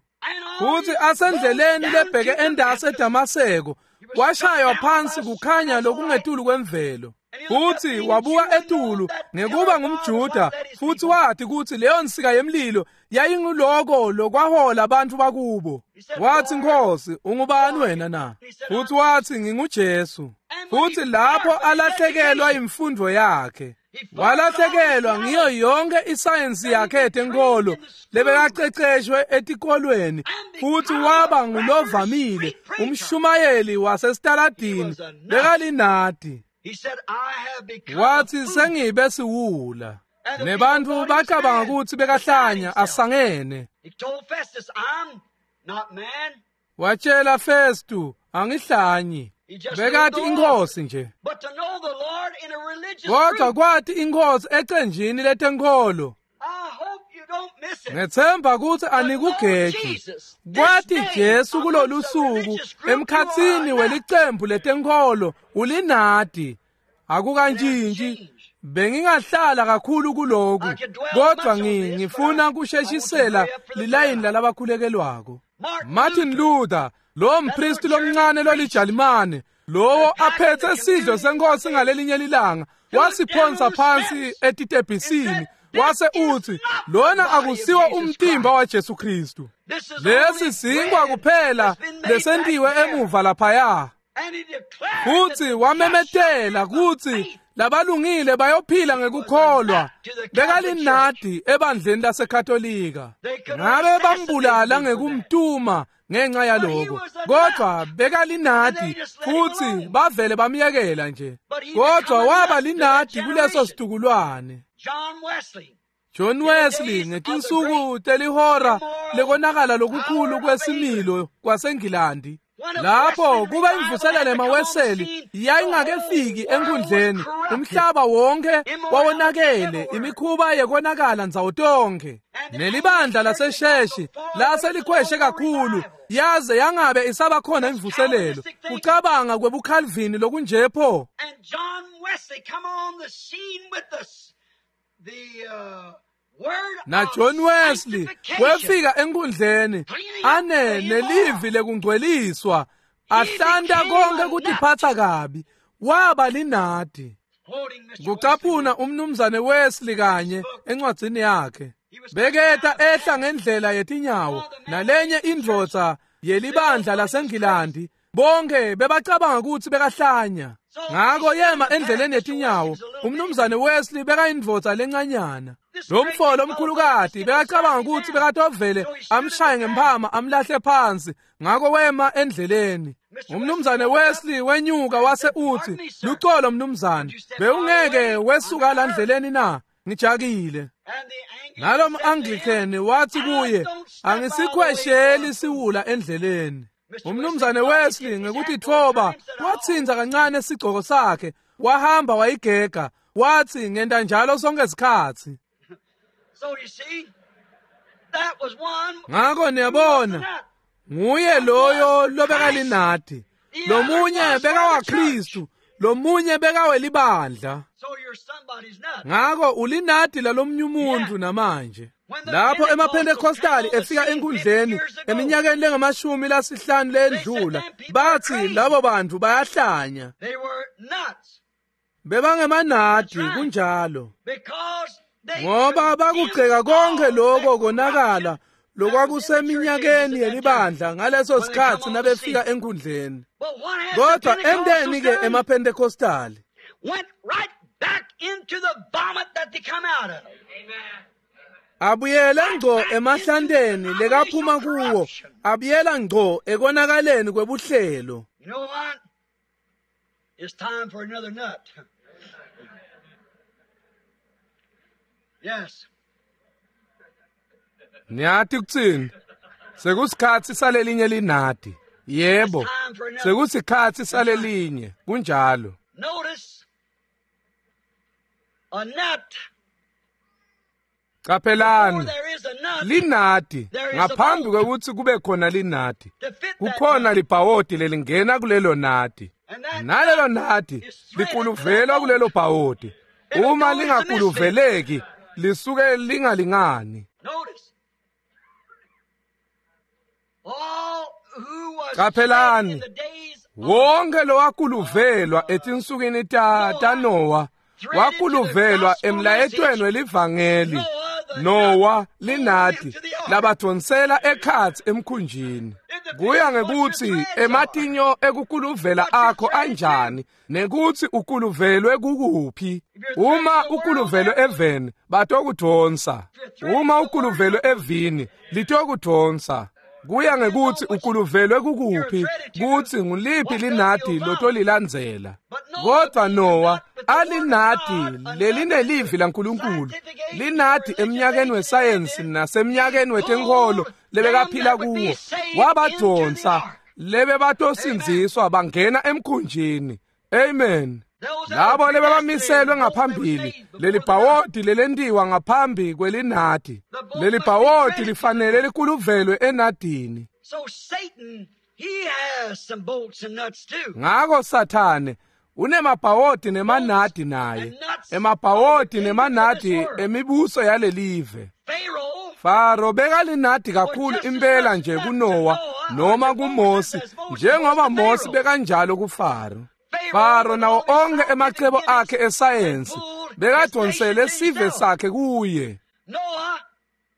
Futhi asendleleni lebheke endase eDamaseko washaywa phansi kukhanya lokungetulu kwemvelo. Futhi wabuka etulu ngekuba ngumJuda futhi wathi kutsi leyo nsika yemlilo yayinguloko lokwahola abantu bakubo. Wathi, Nkosi, ungubani wena na? Futhi wathi, nginguJesu. Futhi lapho alahlekelwa imfundo yakhe, walahlekelwa ngiyo yonke isayensi yakhe yetenkolo lebekaqeqeshwe etikolweni, futhi waba ngulovamile umshumayeli wasesitaladini bekalinadi. Wathi sengibe siwula. Nebantfu bacabanga kutsi bekahlanya asangene. Watshela Festu, angihlanyi. Bekati inkhosi nje. Kodwa kwati inkhosi ecenjini letenkholo. Ngethemba kutsi anikugeji. Kwati Jesu kulolu suku emkhatsini welicembu letenkholo ulinadi. Akukantshintshi. Bengingahlala kakhulu kuloku, kodwa ngifuna kusheshisela lilayini lalabakhulekelwako. Martin Luther, lo mpristi lomncane lolijalimane, lowo aphethe sidlo senkosi ngalelinye lilanga, wasiphonsa phansi etitebhisini, wase uthi, lona akusiwo umtimba waJesu Kristu. Lesi sinkwa kuphela lesentiwe emuva laphaya. Futsi wamemetela kutsi labalungile bayophila ngekukholwa. Bekalinadi ebandleni laseKatolika. Ngabe bambulala ngekumtuma ngenxa yaloko, kodwa bekalinadi futsi bavele bamyekela nje. Kodwa waba linadi kuleso situkulwane. John Wesley ngetinsuku telihora lekonakala lokukhulu kwesimilo kwaseNgilandi, lapho kuba imvuselelo emaWeseli yayingakefiki enkundleni, umhlaba wonke wawonakele, imikhuba yekonakala ndzawo tonke. Nelibandla lasesheshi laselikhweshe kakhulu, yaze yangabe isabakhona imvuselelo. Kucabanga kwebuCalvin lokunjepho. Na John Wesley wefika enkundleni ane nelivi lekungcweliswa, ahlanta konke kutiphatsa kabi, waba linadi. Kucaphuna umnumzane Wesley kanye encwadzini yakhe, beketa ehla ngendlela yetinyawo nalenye indvodza yelibandla laseNgilandi. Bonke bebacabanga kutsi bekahlanya. Ngako yema endleleni yetinyawo. Umnumzane Wesley bekayindvodza lencanyana. Lo mfo lomkhulukati bekacabanga kutsi bekatovele amshaye ngemphama amlahle phansi. Ngako wema endleleni. Umnumzane Wesley wenyuka wase utsi, "Lucolo mnumzane, bewungeke wesuka la ndleleni na? Ngijakile." Nalom Anglican wathi kuye, "Angisikhwesheli siwula endleleni." Umnumzane Wesley ngekuthi thoba watsinza kancane sigcoko sakhe, wahamba wayigega, wathi ngenta njalo sonke isikhatsi. Ngako niyabona, nguye loyo lobekalinadi. Lomunye bekawaKristu, lomunye bekawelibandla. Ngako ulinadi lalomnye umuntu namanje. Lapho emaPentecostali efika enkundleni eminyakeni lengamashumi lasihlanu lendlula, bathi labo bantu bayahlanya. Bebangemanadi kunjalo, ngoba bakugceka konke lokho konakala lokwakuseminyakeni yelibandla ngaleso sikhatsi nabefika enkundleni. Kodwa enteni ke emaPentecostali? Abuyela ngco emahlanteni lekaphuma kuwo, abuyela ngco ekonakaleni kwebuhlelo. You know what? It's time for another nut. Yes. Niyati kutsini? Sekusikhatsi salelinye linadi. Yebo. Sekusikhatsi salelinye. Kunjalo. Notice a nut. Qaphelani, linadi ngaphambi kwekutsi kube khona linadi, kukhona libhawodi lelingena kulelo nadi. Nalelo nadi likuluvelwa kulelo bhawodi. Uma lingakuluveleki lisuke lingalingani. Qaphelani, wonke lowakuluvelwa etinsukwini ta taNowa wakuluvelwa emlayetweni welivangeli. Nowa linadi labathonsela ekhatsi emkhunjini. Kuya ngekutsi ematinyo ekukuluvela akho anjani nekutsi ukuluvelwe kukuphi. Uma ukuluvelwe eveni batokudonsa, uma ukuluvelwe evini litokudonsa. Kuya ngekutsi ukuluvelwe kukuphi, kutsi nguliphi linadi lotolilandzela. Kodwa Noah alinadi lelinelivi laNkulunkulu, linadi emnyakeni wesayensi nasemnyakeni wetenkholo lebekaphila kuwo, wabadonsa lebebatosindziswa bangena emkhunjini. Amen. Labo lebebamiselwe ngaphambili, lelibhawodi lelentiwa ngaphambi kwelinadi. Lelibhawodi lifanele likuluvelwe enadini. So Satan, he has some bolts and nuts too. Ngako Sathane unemabhawodi nemanadi naye, emabhawodi nemanadi emibuso yalelive. Pharaoh Faro bekalinadi kakhulu impela nje kuNoah noma kuMose, njengoba Mose bekanjalo kuFaro. Faro nawo onke emacebo akhe esayensi bekadonsele sive sakhe kuye. Noah,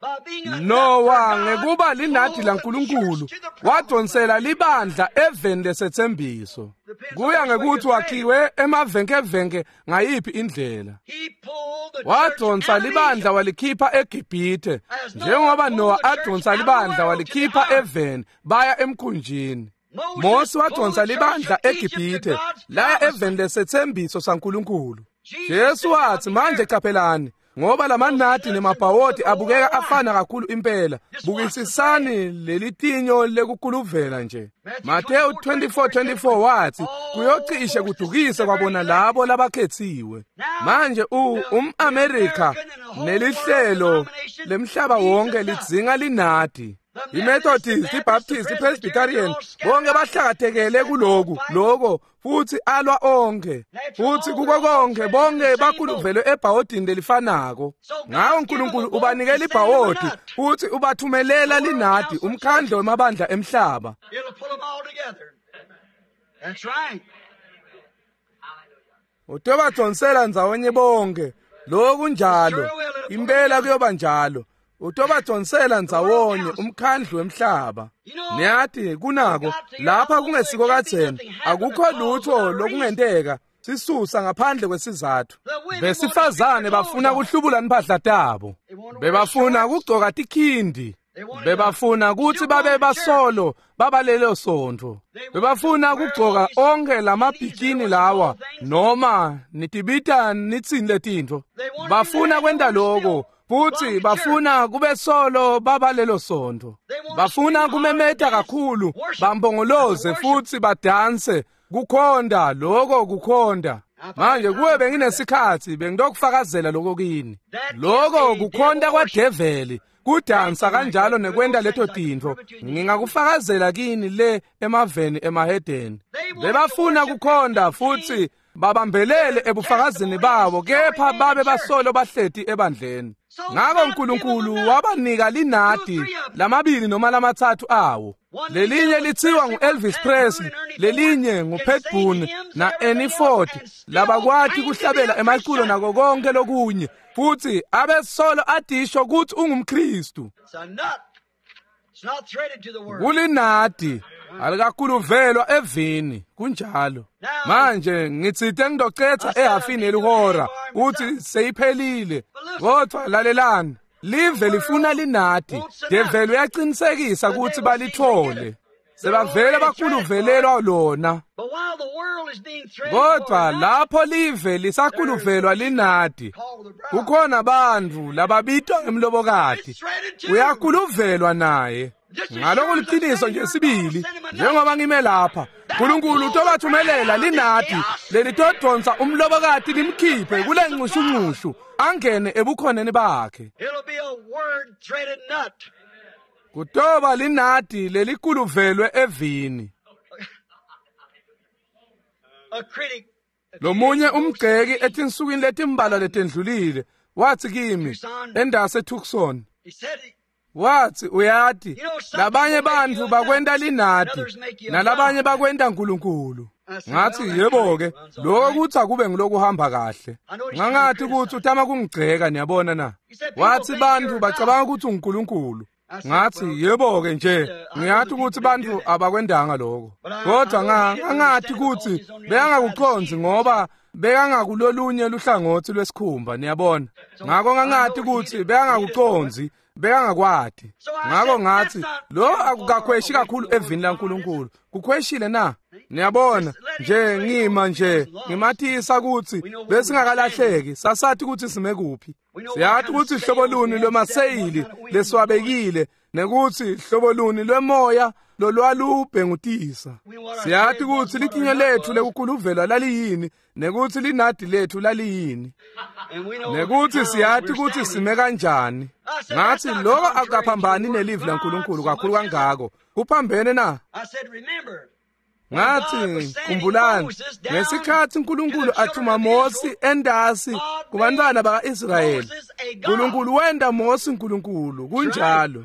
by being a Noah nut for God, ngekuba linadi pulled the laNkulunkulu church to the promised wadonsela libandla eveni lesetsembiso. Kuya ngekuthi wakhiwe emavenkevenke ngayiphi indlela. He pulled the church Wadonsa out of libandla Egypt. walikhipha eGibhithe, njengoba Noah adonsa libandla walikhipha eveni baya emkhunjini. Mose wadonsa libandla eGibhithe laya eveni lesetsembiso saNkulunkulu. Jesu wathi, manje qaphelani, ngoba lamanadi nemabhawodi abukeka afana kakhulu impela, bukisisani lelitinyo lekukuluvela nje. Mateyu twenty-four twenty-four wathi, kuyocishe kudukise kwabona labo labakhethiwe. Manje u umAmerika nelihlelo lemhlaba wonke lidzinga linadi. IMethodist, iBaptist, iPresbyterian, bonke bahlakatekele kuloku, loko, futhi alwa onke. Futhi kuko konke bonke bakuluvelwe ebhawodini lelifanako. Ngawo uNkulunkulu ubanikela ibhawodi futhi ubathumelela linadi, umkhandlo wemabandla emhlaba. It'll pull them all together. That's right. Utobadonsela ndzawonye bonke. Lokhu njalo, impela kuyoba njalo. Utobadonsela ndzawonye umkhandlu wemhlaba. Niyathi kunako lapha kungesiko kadzeni, akukho lutho lokungenteka sisusa ngaphandle kwesizathu. Besifazane bafuna kuhlubula impahla tabo, bebafuna kugcoka tikhindi, bebafuna kutsi babe basolo babalelo sontfo, bebafuna kugcoka onke lamabhikini lawa noma nitibita nitsini letintfo. Bafuna kwenta loko futhi bafuna kube solo babalelo sontfo. Bafuna kumemeta kakhulu, bambongoloze futhi badanse, kukhonda loko kukhonda. Manje kuwe benginesikhathi bengidokufakazela lokho kini. Loko kukhonda kwadeveli, kudansa kanjalo nekwenta leto tintfo. Ngingakufakazela kini le emaveni emahedeni. Bebafuna kukhonda futhi babambelele ebufakazini babo, kepha babe basolo bahleti ebandleni. Ngako uNkulunkulu wabanika linadi lamabili noma lamatsatfu awo. Lelinye lithiwa ngu-Elvis Presley, lelinye ngu-Pat Boone na-Ernie Ford, labakwati kuhlabela emaculo nako konke lokunye, futhi abesolo adisho kutsi ungumKristu. It's a nut. It's not threaded to the word. Kulinadi alikakuluvelwa evini, kunjalo. Manje ngitsite ngidocetha ehafini yelihora uthi seyiphelile, kodwa lalelani, live lifuna linadi. Develi uyaqinisekisa ukuthi balithole, sebavele bakuluvelelwa lona. But while the world is being threaded Kodwa for a nut, lapho live lisakuluvelwa linadi, called the bride. kukhona bantfu lababitwa ngemlobokati, It's threaded too. uyakuluvelwa naye. Ngaloko liqiniso nje sibili, njengoba ngime lapha, uNkulunkulu utobathumelela linadi lelitodonsa umlobokati limkhiphe kule nxushunxushu angene ebukhoneni bakhe. It'll be a word threaded nut. Kutoba linadi lelikuluvelwe evini. A critic. Lomunye umgxeki etinsukwini letimbalwa letendlulile wathi kimi endase Tucson, He said, wathi uyati labanye bantfu bakwenta linadi nalabanye bakwenta uNkulunkulu. Ngathi yebo ke, lokho kuthi akube ngilokuhamba kahle. Ngangathi kuthi utama kungigceka, niyabona na. Wathi bantfu bacabanga ukuthi unguNkulunkulu. Ngathi yebo ke nje, ngiyathi ukuthi bantfu abakwendanga lokho. Kodwa ngangathi kuthi beyangakuqondzi ngoba Bekangakulolunye luhlangotsi lwesikhumba, niyabona. Ngako ngangati kutsi bekangakucondzi, bekangakwati. Ngako ngatsi, lo akukakhweshi kakhulu evini laNkulunkulu. Kukhweshile na? Niyabona, nje ngima nje ngimatisa kutsi besingakalahleki, sasathi kutsi sime kuphi. Siyathi kutsi hlobo luni lwemaseyili lesiwabekile nekutsi hlobo luni lwemoya lolwalubhengutisa. Siyathi kutsi litinyo lethu lekukhuluvelwa laliyini nekutsi linadi lethu laliyini, nekutsi siyathi kutsi sime kanjani. Ngathi lokho akukaphambani nelivi laNkulunkulu kakhulu kangako. Kuphambene na? Ngathi khumbulani ngesikhathi uNkulunkulu athuma Mose endasi kubantwana bakaIsrayeli, uNkulunkulu wenda Mose uNkulunkulu, kunjalo.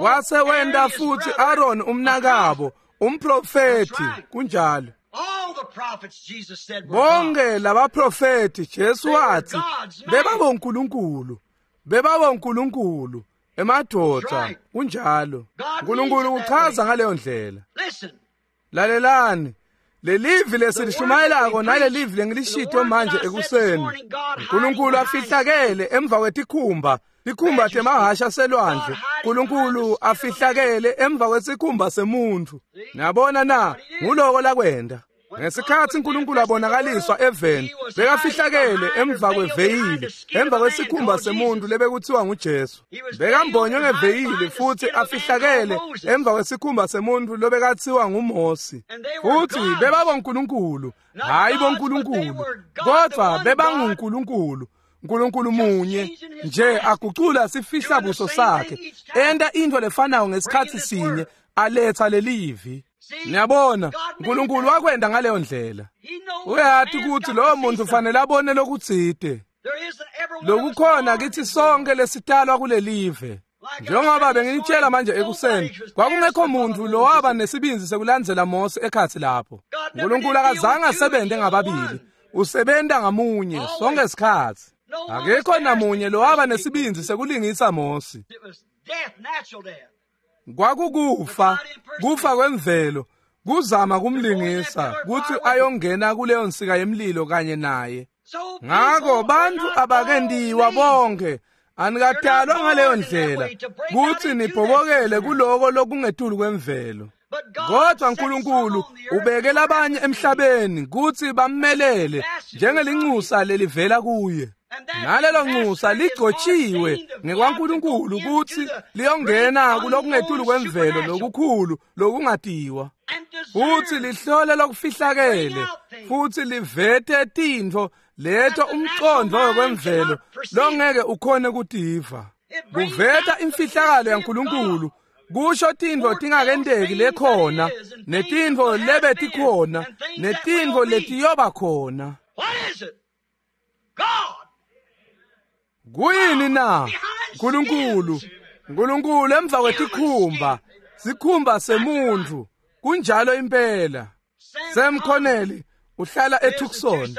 Wase wenda futhi Aaron umnakabo umprofeti, kunjalo. Bonke labaprofeti Jesu wathi bebabonkulunkulu, bebabonkulunkulu emadoda, kunjalo. uNkulunkulu uchaza ngaleyo ndlela. Lalelani, lelivi lesilishumayelako nalelivi lengilishito manje ekuseni, uNkulunkulu afihlakele emva kwetikhumba, tikhumba temahasha selwandle. uNkulunkulu afihlakele emva kwesikhumba semuntfu. Niyabona na? Nguloko lakwenda. Ngesikhathi uNkulunkulu abonakaliswa eveni, bekafihlakele emva kweveyili, emva kwesikhumba semuntu lebekuthiwa nguJesu. Bekambonywe ngeveyili futhi afihlakele emva kwesikhumba semuntu lobekathiwa nguMosi. Futhi bebabonkulunkulu, hayi bonkulunkulu, kodwa bebanguNkulunkulu. uNkulunkulu munye nje agucula sifihla buso sakhe, enta into lefanayo ngesikhathi sinye, aletha lelivi. Niyabona, uNkulunkulu wakwenda ngaleyo ndlela. Uyathi ukuthi lowo muntu ufanele abone lokutsite. Lokukhona kithi sonke lesitalwa kulelive. Njengoba benginitshela manje ekuseni, kwakungekho muntu lowaba nesibindzi sekulandzela Mose ekhatsi lapho. uNkulunkulu akazange asebenze ngababili, usebenta ngamunye sonke isikhatsi. Akekho namunye lowaba nesibindzi sekulingisa Mose. Kwakukufa, kufa kwemvelo, kuzama kumlingisa kutsi ayongena kuleyo nsika yemlilo kanye naye. Ngako bantfu abakendiwa bonke, anikadalwa ngaleyo ndlela kutsi nibhobokele kuloko lokungetulu kwemvelo. Kodwa uNkulunkulu ubeke labanye emhlabeni kutsi bammelele njengelinxusa lelivela kuye. Nalelo nxusa ligcotshiwe ngekwaNkulunkulu kutsi liyongena kulokungetulu kwemvelo lokukhulu lokungatiwa, futhi lihlole lokufihlakele, futhi livete tintfo leto umcondvo wekwemvelo longeke ukhone kutiva. Kuveta imfihlakalo yaNkulunkulu, kusho tintfo tingakenteki lekhona, netintfo lebetikhona, netintfo letiyoba khona. Kuyini na? uNkulunkulu, uNkulunkulu emva kwetikhumba, sikhumba semuntfu, kunjalo impela. Sam Connelly uhlala eTucson.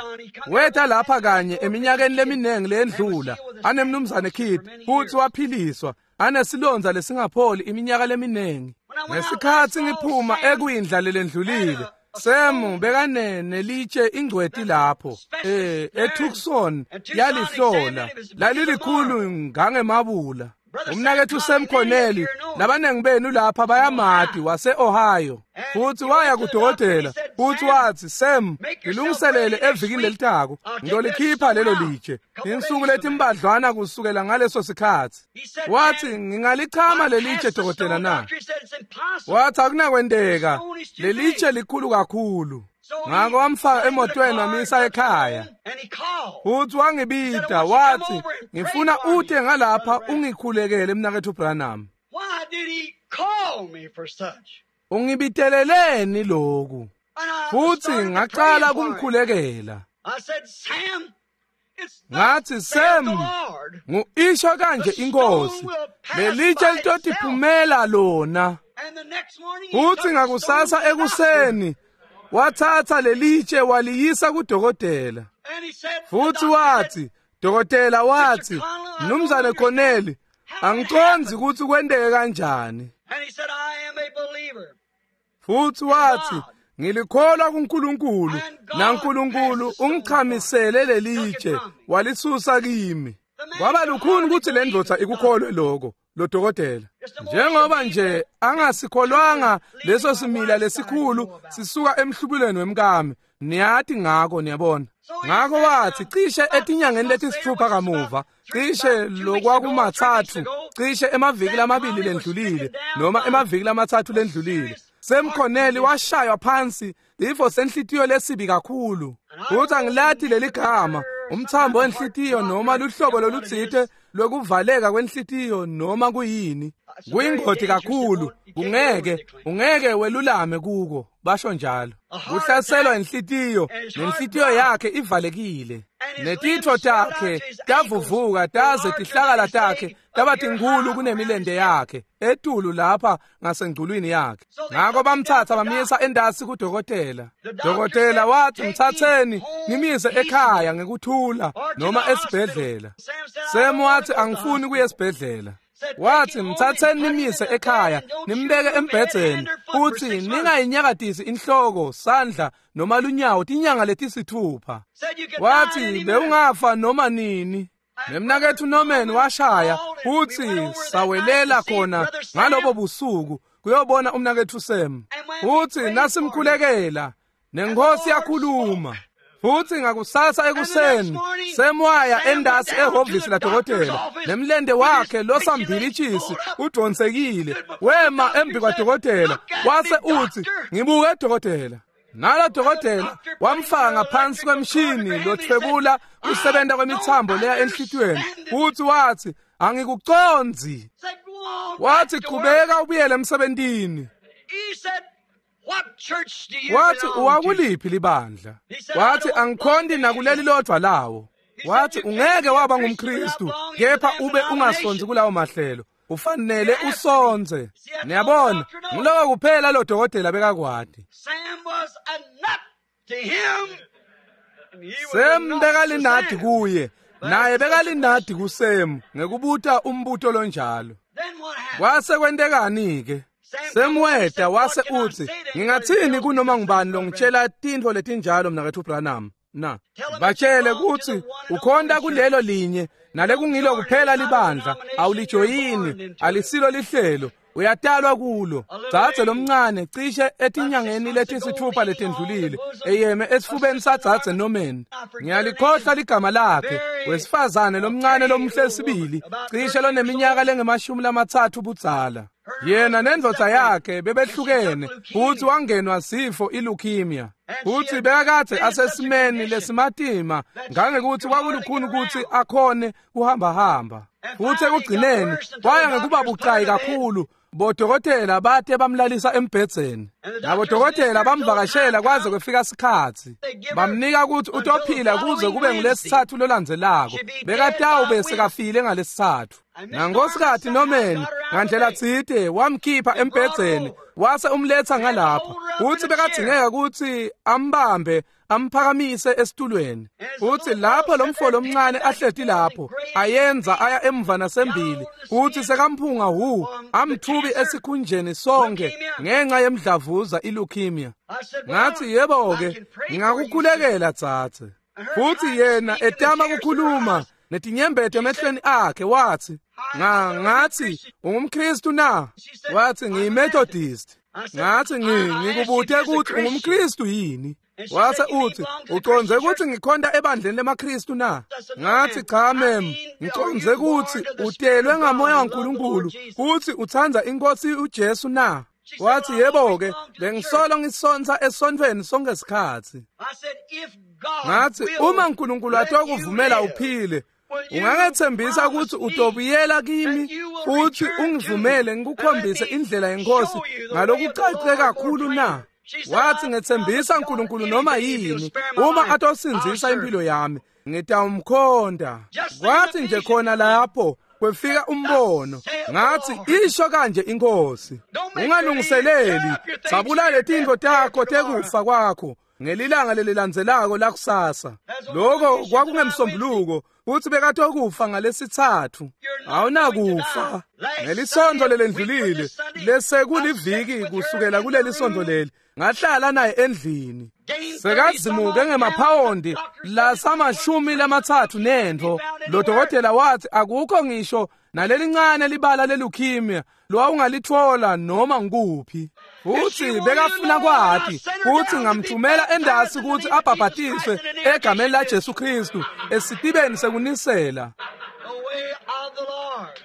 Weta lapha kanye eminyakeni leminingi leyendlula, anemnumzane Kidd, futhi waphiliswa, anesilonza lesingapholi iminyaka leminingi. Ngesikhathi ngiphuma ekwindla lelendlulile, Sam bekane nelitshe ingcweti lapho eh eTucson yalihlola, lalilikhulu ngangemabula. Umnakethu Sam Connelly labanengi benu lapha bayamati, wase-Ohio, futhi waya kudokotela futhi wathi, Sam, ngilungiselele evikini lelitako, ngizolikhipha lelo litshe. Insuku letimbadlwana kusukela ngaleso sikhathi. Wathi, ngingalichama lelitshe dokotela na? Wathi, akunakwenteka, lelitshe likhulu kakhulu. Ngako wamfaka emotweni wamisa ekhaya. Futhi wangibita wathi, ngifuna ute ngalapha ungikhulekele mnakethu Branham. Ungibiteleleni lokhu? Futhi ngaqala kumkhulekela. Ngathi, Sam, ngu-isho kanje inkosi, lelitshe litotiphumela lona. Futhi ngakusasa ekuseni wathatha lelitshe waliyisa kudokotela. Futhi wathi, dokotela wathi, Mnumzane Connelly, angicondzi kutsi kwenteke kanjani. Futhi wathi, Ngilikholwa kuNkulunkulu, naNkulunkulu ungichamisele lelitshe walisusa kimi. Kwaba lukhuni ukuthi le ndvodza ikukholwe lokho lo dokotela, njengoba nje angasikholwanga leso simila lesikhulu sisuka emhlubulweni wemkami. Niyati ngako, niyabona. Ngako wathi cishe etinyangeni letisithupha kamuva, cishe lokwakumathathu, cishe emaviki lamabili lendlulile noma emaviki lamatsatfu lendlulile, Sam Connelly washaywa phansi ifo senhlitiyo lesibi kakhulu. Futhi angilati leli gama, umthambo wenhlitiyo noma luhlobo lolutsite lwekuvaleka kwenhlitiyo noma kuyini. Kuyingoti kakhulu, ungeke ungeke welulame kuko, basho njalo. Kuhlaselwa inhlitiyo, nenhlitiyo yakhe ivalekile. Netitfo takhe tavuvuka taze tihlakala takhe taba tinkhulu kunemilente yakhe etulu lapha ngasengculwini yakhe. Ngako bamthatha bamyisa endasi kudokotela. Dokotela wathi, mthatheni nimise ekhaya ngekuthula noma esibhedlela. Sam wathi, angifuni kuya esibhedlela. Wathi, mthatheni nimise ekhaya nimbeke embhedzeni futhi ningayinyakatisi inhloko, sandla noma lunyawo tinyanga letisithupha. Wathi, bewungafa noma nini. Nemnaketfu Norman washaya futhi sawelela khona ngalobo busuku kuyobona umnaketfu Sam. Futhi nasimkhulekela nenkosi yakhuluma. Futhi ngakusasa ekuseni Sam waya endasi ehhovisi ladokotela, nemlente wakhe losambilitshisi udonsekile, wema embi kwadokotela wase uthi, ngibuke dokotela. Nalo dokotela wamfaka ngaphansi kwemshini lothwebula kusebenta kwemithambo leya enhlitiyweni. Futhi wathi, angikucondzi. Wathi, qhubeka ubuyele emsebentini. Wathi, uwakuliphi libandla? Wathi, angikhonti nakuleli lodwa lawo. Wathi, ungeke waba ngumKristu kepha ube ungasonzi kulawo mahlelo, ufanele usonze. Niyabona, ngiloko kuphela lo dokotela bekakwati. Sam bekalinadi kuye, naye bekalinadi kuSam ngekubuta umbuto lonjalo. Kwase kwentekani ke? Sam weta wase uthi, ngingathini kunoma ngubani longitshela tintfo letinjalo mnaketfu Branham na? Batshele kutsi ukhonta kulelo linye nalekungilo kuphela libandla, awulijoyini, alisilo lihlelo, uyatalwa kulo. Dzadze lomncane cishe etinyangeni letisithupha letendlulile eyeme esifubeni sadzadze Norman, ngiyalikhohlwa ligama lakhe, wesifazane lomncane lomuhle sibili, cishe loneminyaka lengemashumi lamatsatfu budzala. Yena nendvodza yakhe bebehlukene futhi wangenwa sifo ileukemia. Futhi bekakade asesimeni lesimatima ngangekuthi kwakulukhuni ukuthi akhone kuhamba-hamba. Futhi ekugcineni waya ngekuba bucayi kakhulu, bodokotela bate bamlalisa embhedzeni. Nabodokotela bamvakashela kwaze kwefika sikhatsi. Bamnika ukuthi utophila kuze kube ngulesithathu lolandzelako. Bekatawube sekafile ngalesithathu. Nangosikhathi Norman ngandlela tsite wamkhipha embhedzeni wase umletha ngalapha. Uthi bekadzingeka ukuthi ambambe amphakamise esitulweni. Uthi lapho lo mfo lomncane ahleti lapho ayenza aya emva nasembili, uthi sekamphunga hu amthubi esikhunjeni sonke ngenxa yemdlavuza ileukemia. Ngathi, yebo ke, ngingakukhulekela dzadze. Futhi yena etama ukukhuluma netinyembeti emehlweni akhe wathi, nga ngathi ungumKristu na? Wathi, ngiyiMethodist. Ngathi, ngikubuthe ukuthi ungumKristu yini? Wase uthi, uconze ukuthi ngikhonta ebandleni lemaKristu na? Ngathi, cha mem, ngiconze ukuthi utelwe ngamoya waNkulunkulu futhi utsandza inkosi uJesu na? Wathi, yebo ke, bengisolo ngisonta esontweni sonke sikhatsi. Ngathi, uma uNkulunkulu atokuvumela uphile, ungangethembisa ukuthi utobuyela kimi futhi ungivumele ngikukhombise indlela yenkosi ngalokucace kakhulu na? Wathi, ngethembisa uNkulunkulu noma yini uma atosindzisa impilo yami, ngitawumkhonta. Kwathi nje khona lapho kwefika umbono. Ngathi, isho kanje inkosi, ungalungiseleli, sabula letintfo takho tekufa kwakho ngelilanga lelilandzelako lakusasa. Lokho kwakungemsombuluko futhi bekatokufa ngalesithathu. Awunakufa ngelisonto lelendlulile lesekuliviki kusukela kuleli sonto leli. Ngahlala naye endlini. Sekazimuke ngemaphawondi lasamashumi lamatsatfu nentfo. Lo dokotela wathi akukho ngisho nalelincane libala lelukhemia lowawungalitfola noma ngikuphi. Futhi bekafuna kwati futhi ngamthumela endasi ukuthi abhabhatiswe egameni laJesu Kristu esitibeni sekunisela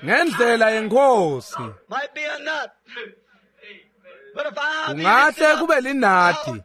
ngendlela yenkosi. Kungahle kube linadi,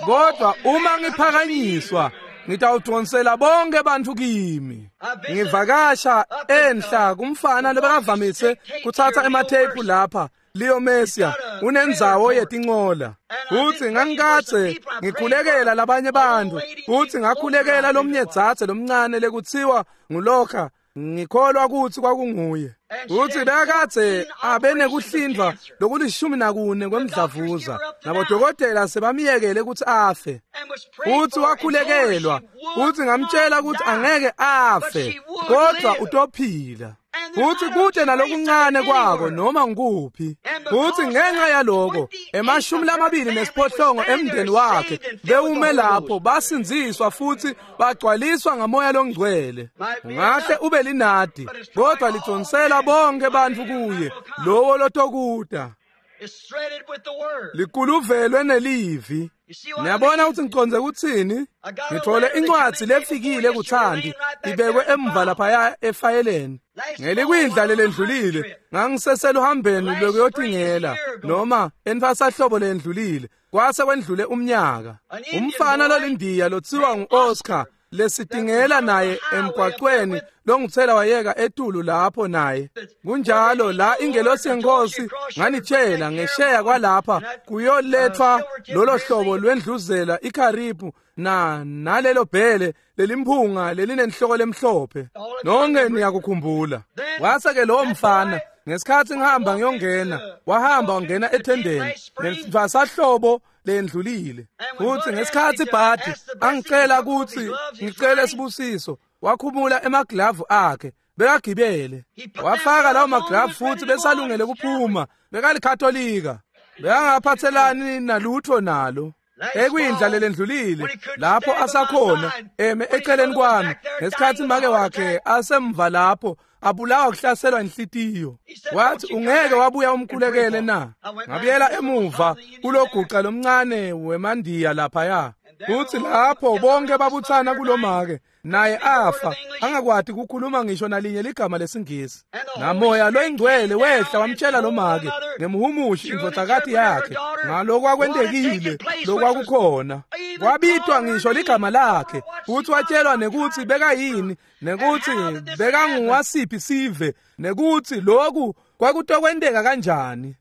kodwa uma ngiphakanyiswa ngitawudonsela bonke bantfu kimi. Ngivakasha enhla kumfana lobekavamise kuthatha ematheyiphu lapha Leo Messia unendzawo yetincola. Futhi ngangikadze ngikhulekela labanye bantfu, futhi ngakhulekela lomnye dzadze lomncane lekutsiwa nguLokha, ngikholwa kutsi kwakunguye. Futhi bekadze abe nekuhlindvwa lokulishumi nakune kwemdlavuza, nabodokotela sebamyekele kutsi afe. Futhi wakhulekelwa, futhi ngamtshela kutsi angeke afe, kodwa utophila. Futhi kude nalokuncane kwako noma ngikuphi. Futhi ngenxa yaloko emashumi lamabili nesiphohlongo emndeni wakhe bewume lapho basindziswa futhi bagcwaliswa ngamoya longcwele. Ungahle ube linadi, kodwa lidonsela bonke bantfu kuye lowo lotokuta. Likuluvelwe nelivi. Niyabona ukuthi ngiconze kuthini? Ngithole incwadi lefikile kuthandi ibekwe emva laphaya efayeleni. Ngelikwindla lelendlulile ngangiseseluhambeni lokuyotingela noma entfasahlobo lendlulile, kwase kwendlule umnyaka. Umfana lolindiya lotsiwa ngu-Oscar lesitingela naye emgwaqweni longithela wayeka etulu lapho naye. Kunjalo la ingelosi yenkosi nganitshela ngesheya kwalapha kuyolethwa lolo hlobo lwendluzela iKharibu na nalelo bhele lelimphunga lelinenhloko lemhlophe. Nonke niyakukhumbula. Wase ke lowo mfana ngesikhathi ngihamba ngiyongena, wahamba wangena ethendeni ngesahlobo lendlulile. Futhi ngesikhathi Bhadi angicela ukuthi ngicele sibusiso, wakhumula emaglavu akhe bekagibele, wafaka lawo maglavu futhi besalungele kuphuma. Bekalikatolika, bekangaphathelani nalutho nalo. Ekwindla lelendlulile lapho asakhona eme eceleni kwami ngesikhathi make wakhe asemva lapho abulawa kuhlaselwa inhlitiyo. Wathi ungeke wabuya umkhulekele na? Ngabuyela emuva kuloguqa lomncane wemandiya laphaya. Uthi lapho bonke babuthana kulomake naye afa angakwati ukukhuluma ngisho nalinye ligama lesingisi. Namoya loyingcwele wehla wamtshela lomake ngemhumushi indvodzakati yakhe ngalokwakwendekile lokwakukhona. Kwabitwa ngisho ligama lakhe, futhi watshelwa nekuthi bekayini, nekuthi bekanguwasiphi sive, nekuthi lokhu kwakutokwenteka kanjani.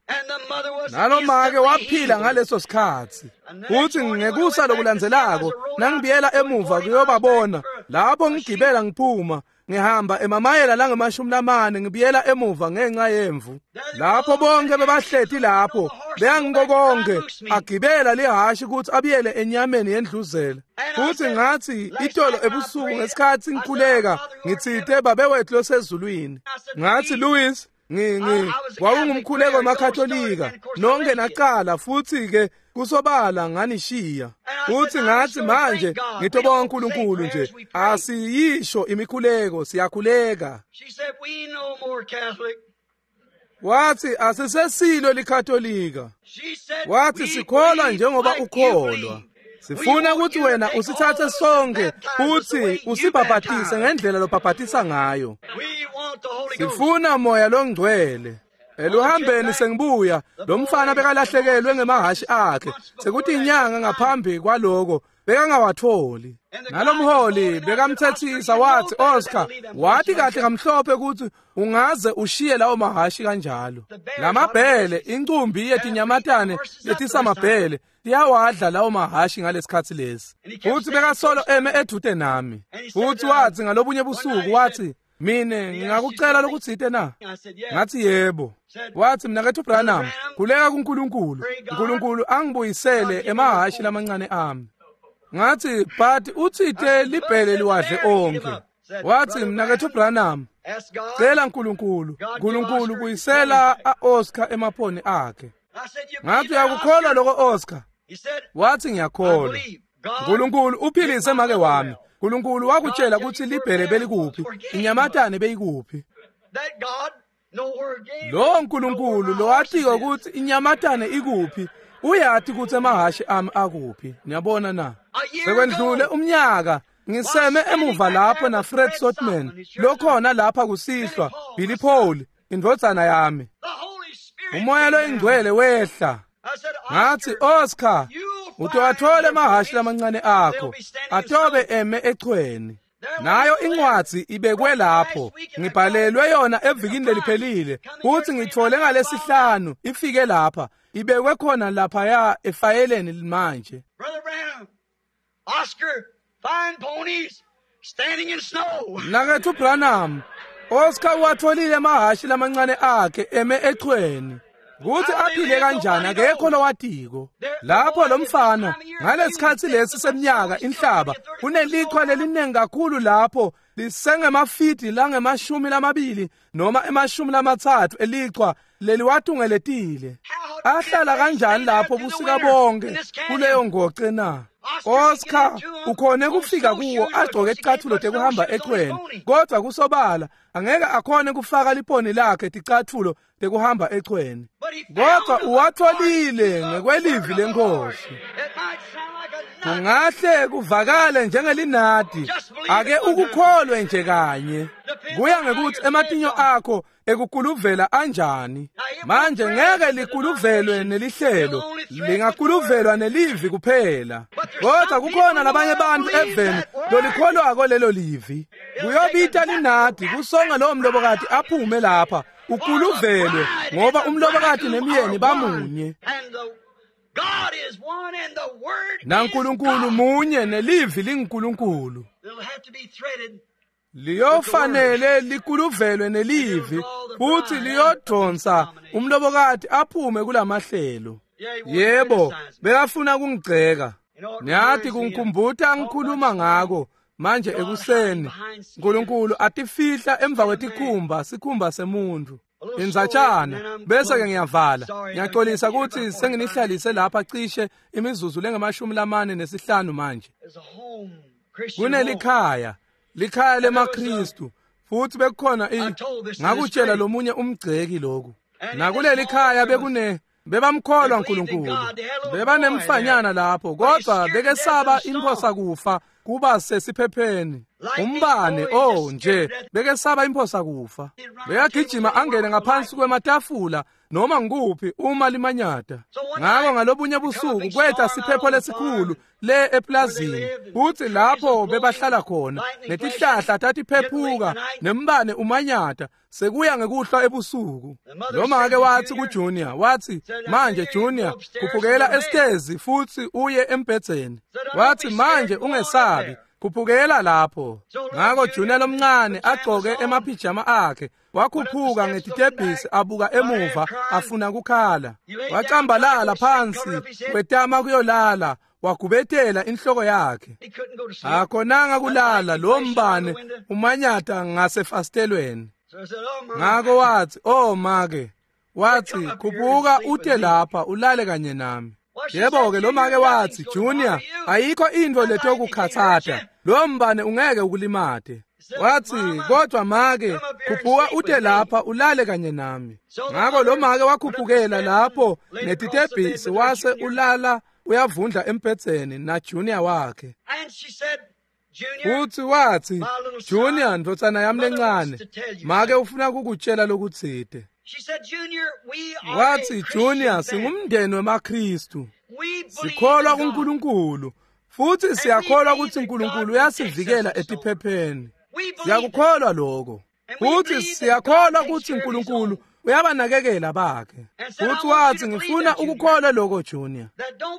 Nalomake waphila ngaleso sikhathi. Futhi ngekusa lokulandzelako nangibuyela emuva kuyobabona lapho ngigibela ngiphuma ngihamba emamayela langemashumi lamane ngibuyela emuva ngenxa yemvu. Lapho bonke bebahleti lapho beyangiko konke agibela lihashi ukuthi abuyele enyameni yendluzela. Futhi ngathi itolo ebusuku ngesikhathi ngikhuleka ngitsite Babe wethu losezulwini, ngathi Louis ngi ngi wawungumkhuleko wamaKatolika nonke naqala futhi ke kusobala nganishiya. Futhi ngathi manje ngitobonga uNkulunkulu nje asiyisho imikhuleko siyakhuleka. Wathi asisesilo liKatolika. Wathi sikholwa njengoba ukholwa. Sifuna ukuthi wena usithathe sonke futhi usibhabhatise ngendlela lobhabhatisa ngayo. Sifuna moya longcwele. Eluhambeni sengibuya lo mfana bekalahlekelwe ngemahashi akhe sekuthi inyanga ngaphambi kwaloko bekangawatholi. Nalomholi bekamthethisa wathi Oscar wathi kahle kamhlophe ukuthi ungaze ushiye lawo mahashi kanjalo. Lamabhele incumbi yetinyamatane letisamabhele tiyawadla lawo mahashi ngalesikhathi lesi. Futhi bekasolo eme edude nami. Futhi wathi ngalobunye busuku wathi mine ngingakucela lokutsite na? Ngathi yebo. Wathi mnakethu Branham khuleka kuNkulunkulu, uNkulunkulu angibuyisele emahashi lamancane ami. Ngathi but utsite libhele liwadle onke. Wathi mnakethu Branham cela uNkulunkulu, uNkulunkulu buyisela aOscar emaphoni akhe. Ngathi uyakukholwa lokho Oscar? Wathi ngiyakholwa. Nkulunkulu uphilise make wami. Nkulunkulu wakutshela ukuthi libhele belikuphi, inyamatane beyikuphi. Lo Nkulunkulu lowatiko ukuthi inyamatane ikuphi, uyati ukuthi emahhashi ami akuphi. Niyabona na? Sekwendlule umnyaka ngiseme emuva lapho na Fred Sotman lokhona lapha kusihlwa, Billy Paul indvodzana yami. Umoya loyingcwele wehla. Ngathi Oscar, utowathola emahhashi lamancane akho atobe eme echweni. Nayo incwadzi ibekwe lapho, ngibhalelwe yona evikini leliphelile futhi ngithole ngalesihlanu ifike lapha, ibekwe khona laphaya efayeleni manje. Oscar, fine ponies standing in snow. Nakethu Branham, Oscar watholile emahhashi lamancane akhe eme echweni. Kuthi aphile kanjani akekho lowatiko. Lapho lo mfana ngalesikhatsi lesi seminyaka inhlaba kunelichwa leliningi kakhulu lapho lisengemafidi langemashumi lamabili noma emashumi lamatsatfu elichwa leliwatungeletile. Ahlala kanjani lapho busika bonke kuleyo ngoce na? Oscar ukhone kufika kuwo agcoke icathulo tekuhamba echweni, kodwa kusobala angeke akhone kufaka liponi lakhe ticathulo tekuhamba echweni, kodwa uwatholile ngekwelivi lenkosi. Kungahle kuvakale njengelinadi, ake ukukholwe nje kanye. Kuya ngekuthi ematinyo akho ekukuluvela anjani. Manje ngeke likuluvelwe nelihlelo, lingakuluvelwa nelivi kuphela. Kodwa kukhona labanye bantu eveni lolikholwako lelo livi. Kuyobita linadi kusonga lowo mlobokati aphume lapha ukuluvelwe, ngoba umlobokati nemyeni bamunye. NaNkulunkulu munye nelivi linguNkulunkulu. Liyofanele likuluvelwe nelivi futhi liyodonsa umlobokati aphume kulamahlelo. Yebo, bekafuna kungigceka. Niyathi kungikhumbuta ngikhuluma ngako manje ekuseni. Nkulunkulu atifihla emva kwetikhumba, sikhumba semuntu. Inzatshana bese ke ngiyavala. Ngiyaxolisa ukuthi senginihlalise lapha cishe imizuzu lengamashumi lamane nesihlanu manje. Kunelikhaya, likhaya lemaKristu, futhi bekukhona ngakutshela lomunye umgceki lokhu. Nakuleli khaya bekune bebamkholwa uNkulunkulu, bebanemfanyana lapho, kodwa bekesaba imphosa kufa kuba sesiphepheni. Umbane oh nje bekesaba imphosa kufa. Bekagijima angene ngaphansi kwematafula noma ngikuphi uma limanyata. Ngako ngalobunye busuku kwetha siphepho lesikhulu le eplazini, futhi lapho bebahlala khona netihlahla tatiphephuka nembane umanyata sekuya ngekuhlwa ebusuku. Noma ke wathi kuJunior, wathi manje Junior khuphukela esitezi futhi uye embhedzeni. Wathi manje ungesabi, khuphukela lapho. Ngako Junior lomncane agcoke emaphijama akhe wakhuphuka ngetitebhisi abuka emuva afuna kukhala. Wacambalala phansi wetama kuyolala, wagubetela inhloko yakhe. Akhonanga kulala lo mbane umanyata ngasefasitelweni. Ngako wathi oh make, wathi khuphuka ute lapha ulale kanye nami. Yebo ke lo make wathi Junior, ayikho into letokukhathata, lo mbane ungeke ukulimate. Wathi kodwa make khuphuka ute lapha ulale kanye nami. Ngako lo make wakhuphukela lapho netitebhisi wase ulala uyavundla embhedzeni na Junior wakhe. Futhi wathi Junior ndvodzana yami lencane, make ufuna kukutshela lokutsite. Wathi Junior, singumndeni wemaKristu, sikholwa kuNkulunkulu futhi siyakholwa ukuthi uNkulunkulu uyasivikela etiphepheni. Siyakukholwa lokho futhi siyakholwa ukuthi uNkulunkulu uyabanakekela bakhe. Futhi wathi ngifuna ukukholwa lokho Junior,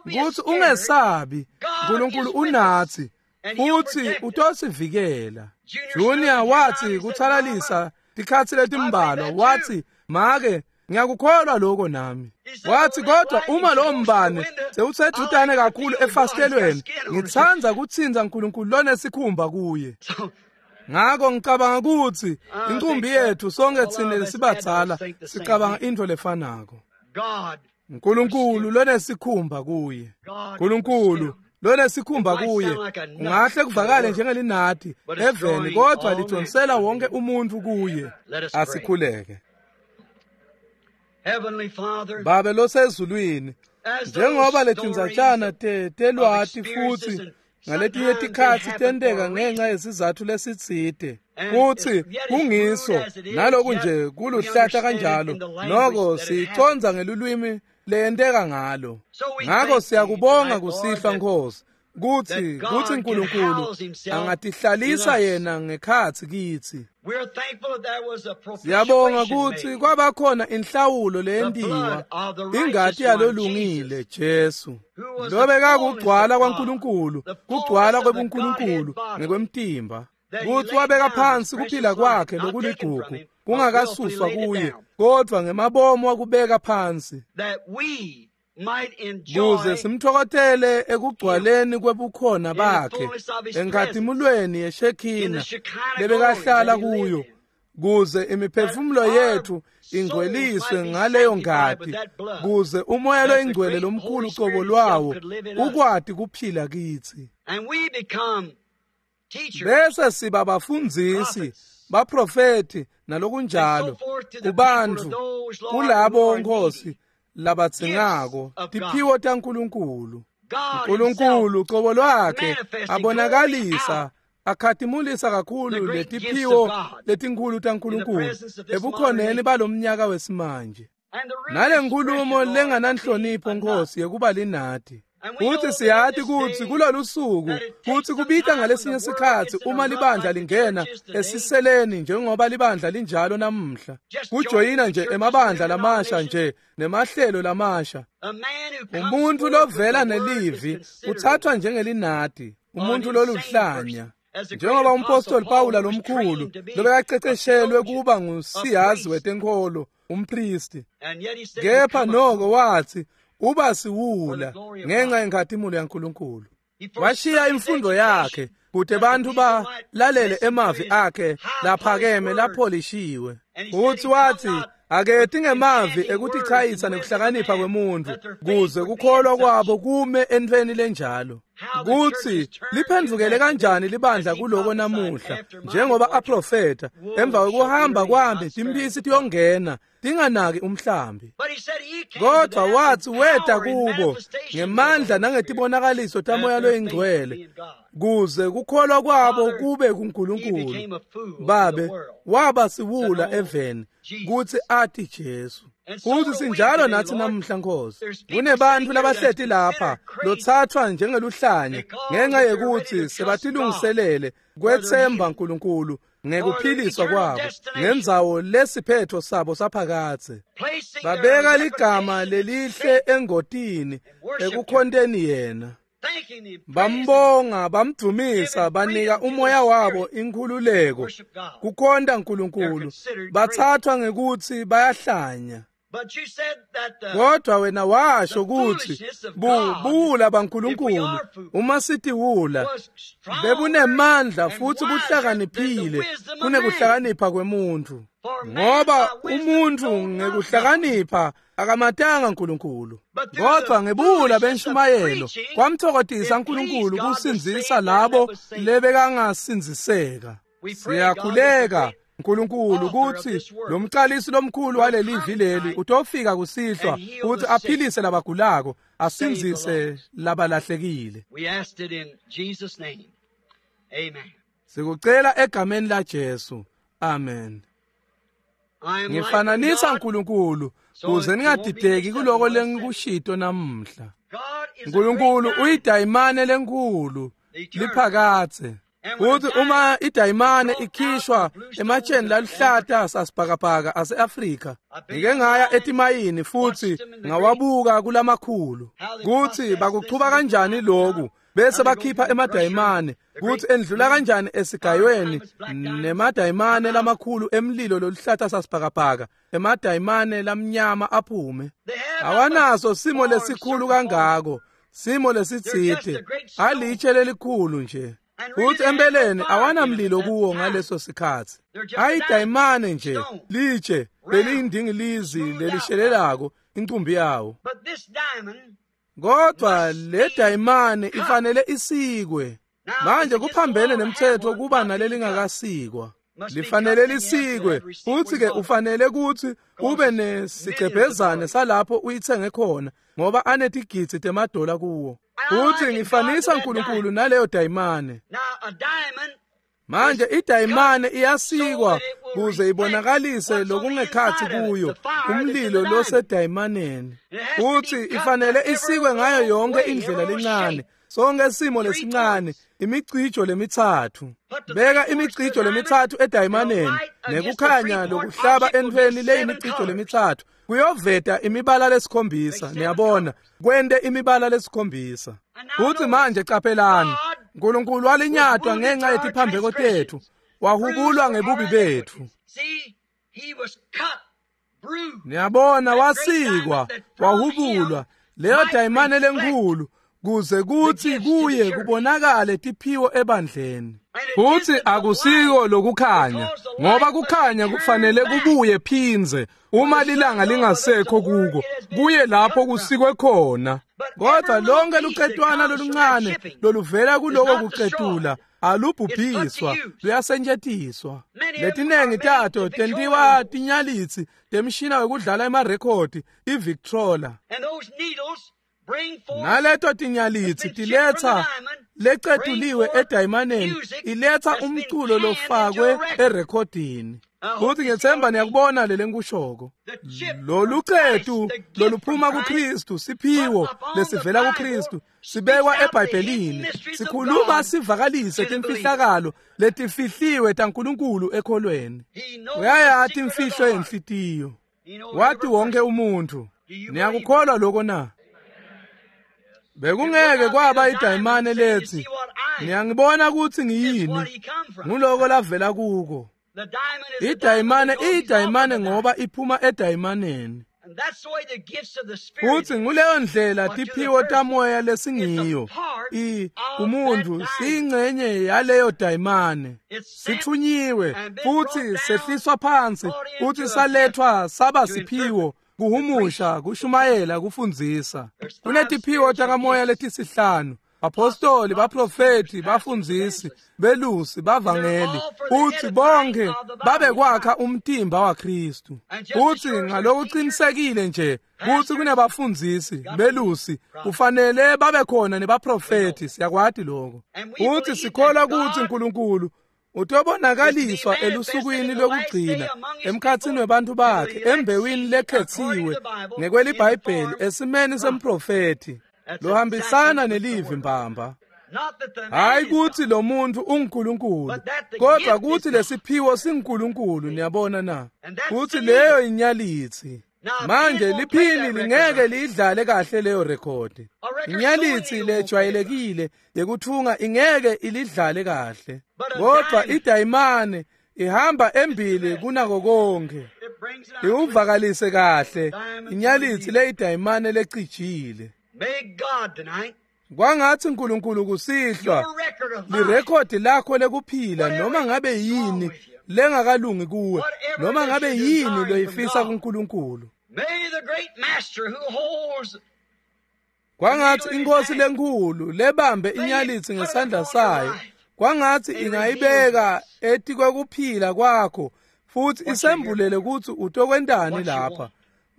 ukuthi ungesabi, uNkulunkulu unathi futhi utosivikela. Junior wathi kuthalalisa tikhatsi letimbalwa, wathi make ngiyakukholwa lokho nami. Wathi kodwa uma lo mbane sewusedudane kakhulu efasitelweni, ngitsandza kutsinza uNkulunkulu lonesikhumba kuye. Ngako ngicabanga ukuthi inqumbi yethu sonke thina sibadzala sicabanga into lefanako. Nkulunkulu lonesikhumba kuye. Nkulunkulu lonesikhumba kuye kungahle kuvakale njengelinati eveni, kodwa lidonsela wonke umuntu kuye. Asikhuleke. Babe losezulwini, njengoba letindzatshana telwati futhi ngaletinye tikhatsi tenteka ngenxa yesizatfu lesitsite, futsi kungiso naloku nje kuluhlata kanjalo, noko siyicondza ngelulwimi leyenteka ngalo. Ngako siyakubonga kusihlwa Nkosi, kutsi kutsi Nkulunkulu angatihlalisa yena ngekhatsi kitsi. Siyabonga kutsi kwabakhona inhlawulo leyentiwa, ingati yalolungile Jesu, lobekakugcwala kwaNkulunkulu, kugcwala kwebuNkulunkulu ngekwemtimba, kutsi wabeka phansi kuphila kwakhe lokuligugu kungakasuswa kuye, kodvwa ngemabomu wakubeka phansi, kuze simtfokotele ekugcwaleni kwebukhona bakhe enkhatimulweni yeShekhina lebekahlala kuyo, kuze imiphefumulo yetfu ingcweliswe ngaleyo ngati, kuze umoya loyingcwele lomkhulu cobo lwawo ukwati kuphila kitsi. Bese siba bafundzisi, baprofeti nalokunjalo kubantfu, kulabo Nkosi labadzingako tiphiwo taNkulunkulu. Nkulunkulu cobo lwakhe abonakalisa akhatimulisa kakhulu letiphiwo letinkhulu taNkulunkulu ebukhoneni balomnyaka wesimanje. Nale nkulumo lengananhlonipho Nkosi yekuba linati. Futhi siyati kutsi kulolu suku kutsi kubita ngalesinye sikhatsi uma libandla lingena esiseleni njengoba libandla linjalo namuhla, kujoyina nje emabandla lamasha nje nemahlelo lamasha. Umuntu lovela nelivi uthathwa njengelinati, umuntu loluhlanya. Njengoba umpostoli Pawula lomkhulu lobekaqeqeshelwe kuba ngusiyazi wetenkholo, umpristi, kepha noko wathi uba siwula ngenxa yenkhatimulo yaNkulunkulu. Washiya imfundo yakhe kute bantfu balalele emavi akhe laphakeme lapholishiwe. Futhi wathi aketi ngemavi ekutichayisa nekuhlakanipha kwemuntfu, kuze kukholwa kwabo kume entfweni lenjalo. Kutsi liphendvukele kanjani libandla kuloko namuhla, njengoba aprofeta emva kwekuhamba kwami timphisi tiyongena tinganaki umhlambi. Kodwa wathi weta kubo ngemandla nangetibonakaliso tamoya loyingcwele, kuze kukholwa kwabo kube kuNkulunkulu. Babe waba siwula eveni kutsi ati Jesu. Futhi sinjalo nathi namuhla Nkosi. Kunebantfu labahleti lapha lothathwa njengeluhlanya ngenxa yekuthi sebatilungiselele kwetsemba Nkulunkulu ngekuphiliswa kwabo ngendzawo lesiphetho sabo saphakadze. Babeka ligama lelihle engotini ekukhonteni yena. Bambonga, bamdvumisa, banika umoya wabo inkhululeko kukhonta Nkulunkulu. Bathathwa ngekutsi bayahlanya. Kodwa wena washo kutsi buwula baNkulunkulu uma sitiwula bebunemandla futhi buhlakaniphile kunekuhlakanipha kwemuntfu, ngoba umuntfu ngekuhlakanipha akamatanga Nkulunkulu, kodwa ngebuwula benshumayelo kwamthokozisa Nkulunkulu kusindzisa labo lebekangasindziseka. Siyakhuleka Nkulunkulu kutsi lomcalisi lomkhulu walelivi leli utofika kusihlwa kutsi aphilise labagulako, asindzise labalahlekile. Sikucela egameni la Jesu. Amen. Ngifananisa Nkulunkulu kuze ningadideki kuloko lengikushito namuhla. Nkulunkulu uyidayimane lenkhulu liphakadze. Futhi uma idayimane ikhishwa ematsheni laluhlata sasibhakabhaka ase-Afrika, ngike ngaya etimayini futhi ngawabuka kulamakhulu kutsi bakuchuba kanjani loku, bese bakhipha emadayimane kutsi endlula kanjani esigayweni nemadayimane lamakhulu emlilo loluhlata sasibhakabhaka, emadayimane lamnyama aphume. Awanaso simo lesikhulu kangako, simo lesitsite, alitshe lelikhulu nje. Futhi empeleni awanamlilo kuwo ngaleso sikhathi. Ayidayimane nje, litshe leliyindingilizi lelishelelako incumbi yawo. Kodwa le dayimane ifanele isikwe. Manje kuphambene nemthetho kuba nalelingakasikwa. Lifanele lisikwe, futhi ke ufanele ukuthi ube nesigcebhezane salapho uyithenge khona, ngoba anetigidzi temadola kuwo. Futhi ngifanisa uNkulunkulu naleyo dayimane. Manje idayimane iyasikwa kuze ibonakalise lokungekhathi kuyo, umlilo losedayimaneni. Futhi ifanele isikwe ngayo yonke indlela lencane, sonke isimo lesincane, imicijo lemithathu. Beka imicijo lemithathu edayimaneni, nekukhanya lokuhlaba entweni leyimicijo lemithathu kuyoveta imibala lesikhombisa. Niyabona, kwente imibala lesikhombisa. Futhi manje qaphelani, uNkulunkulu walinyatwa ngenxa yetiphambeko tethu, wahubulwa ngebubi bethu. Niyabona, wasikwa, wahubulwa leyo dayimane lenkulu, kuze kuthi kuye kubonakale tiphiwo ebandleni. Futhi akusiko lokukhanya, ngoba kukhanya kufanele kubuye phinze uma lilanga lingasekho kuko, kuye lapho kusikwe khona. Kodwa lonke lucetwana loluncane loluvela kuloko kucetula alubhubhiswa, luyasentshetiswa. Letinengi tato tentiwa tinyalitsi temshina wekudlala emarekhodi iVictrola. Naleto tinyalitsi tiletsa lecetuliwe edayimaneni, iletsa umculo lofakwe erekhodini. Futhi ngethemba niyakubona lele ngikushoko. Lolu cetu loluphuma kuKristu, siphiwo lesivela kuKristu, sibekwa eBhayibhelini, sikhuluma sivakalise timfihlakalo letifihliwe taNkulunkulu ekholweni. Uyayati imfihlo yenhlitiyo, wati wonke umuntu. Niyakukholwa lokho na? Bekungeke kwaba idayimane lethi, niyangibona ukuthi ngiyini, nguloko lavela kuko. Idayimane iyidayimane ngoba iphuma edayimaneni. Futhi nguleyo ndlela tiphiwo tamoya lesingiyo. I umuntu siyingcenye yaleyo dayimane. Sithunyiwe futhi sehliswa phansi futhi salethwa saba siphiwo, kuhumusha, kushumayela, kufundzisa. Kunetiphiwo takamoya letisihlanu: apostoli, baprofeti, bafundzisi, belusi, bavangeli. Futhi bonke babekwakha umtimba waKristu. Futhi ngalokuqinisekile nje kuthi kunebafundzisi, belusi, kufanele babe khona nebaprofeti. Siyakwati lokho. Futhi sikholwa ukuthi uNkulunkulu utobonakaliswa elusukwini lokugcina emkhathini webantu bakhe, embewini lekhethiwe ngekweliBhayibheli, esimeni semprofeti lohambisana nelivi mbamba. Hayi kuthi lo muntu unguNkulunkulu, kodwa kuthi lesiphiwo singuNkulunkulu. Niyabona na? Kuthi leyo inyalitsi. Manje liphini lingeke liyidlale kahle leyo rekhodi. Inyalitsi lejwayelekile yekuthunga ingeke ilidlale kahle, kodwa idayimane ihamba embili kunako konke, iwuvakalise kahle inyalitsi leyidayimane lecijile. Kwangathi uNkulunkulu kusihlwa lirekhodi lakho lekuphila, noma ngabe yini lengakalungi kuwe, noma ngabe yini loyifisa kuNkulunkulu. Kwangathi inkosi lenkulu lebambe inyalitsi ngesandla sayo, kwangathi ingayibeka etikwekuphila kwakho futhi isembulele ukuthi utokwentani lapha,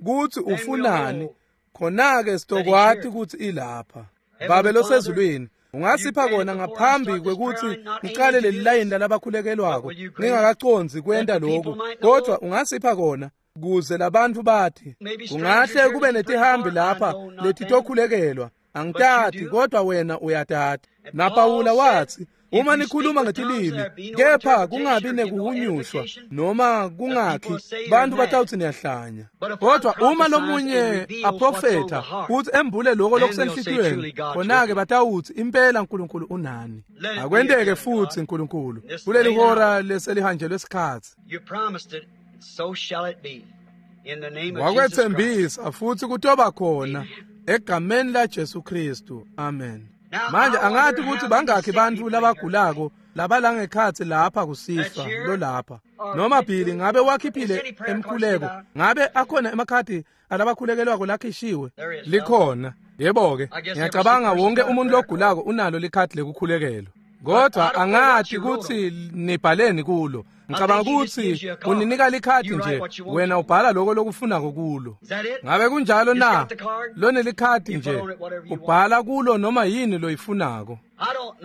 kuthi ufunani. Khona-ke sitokwati ukuthi ilapha. Babe losezulwini, ungasipha kona ngaphambi kwekuthi ngiqale leli layini lalabakhulekelwako, ngingakacondzi kwenta lokhu, kodwa ungasipha kona kuze labantu bathi kungahle kube netihambi lapha letitokhulekelwa. Angitati, kodwa wena uyatati. NaPawula wathi, uma nikhuluma ngetilimi kepha kungabi nekuhunyushwa noma kungakhi, bantu batawuthi niyahlanya. Kodwa uma lomunye aprofetha kuthi embule lokho lokusenhlitiyweni, khona-ke batawuthi impela uNkulunkulu unani. Akwenteke futhi uNkulunkulu kuleli hora leselihanjelwe isikhathi. Wakwethembisa futhi kutoba khona egameni laJesu Kristu. Amen. Manje angati ukuthi bangakhi bantfu labagulako labalangekhatsi lapha kusihlwa lolapha. Noma Billy ngabe wakhiphile emkhuleko, ngabe akhona emakhadi alabakhulekelwako lakhishiwe? Likhona. Yebo-ke, ngiyacabanga wonke umuntu logulako unalo likhadi lekukhulekelwa. Kodwa angati kutsi nibhaleni kulo. Ngicabanga kutsi uninika likhadi nje, wena ubhala lokho lokufunako kulo. Ngabe kunjalo na? Lonelikhadi nje, ubhala kulo noma yini loyifunako.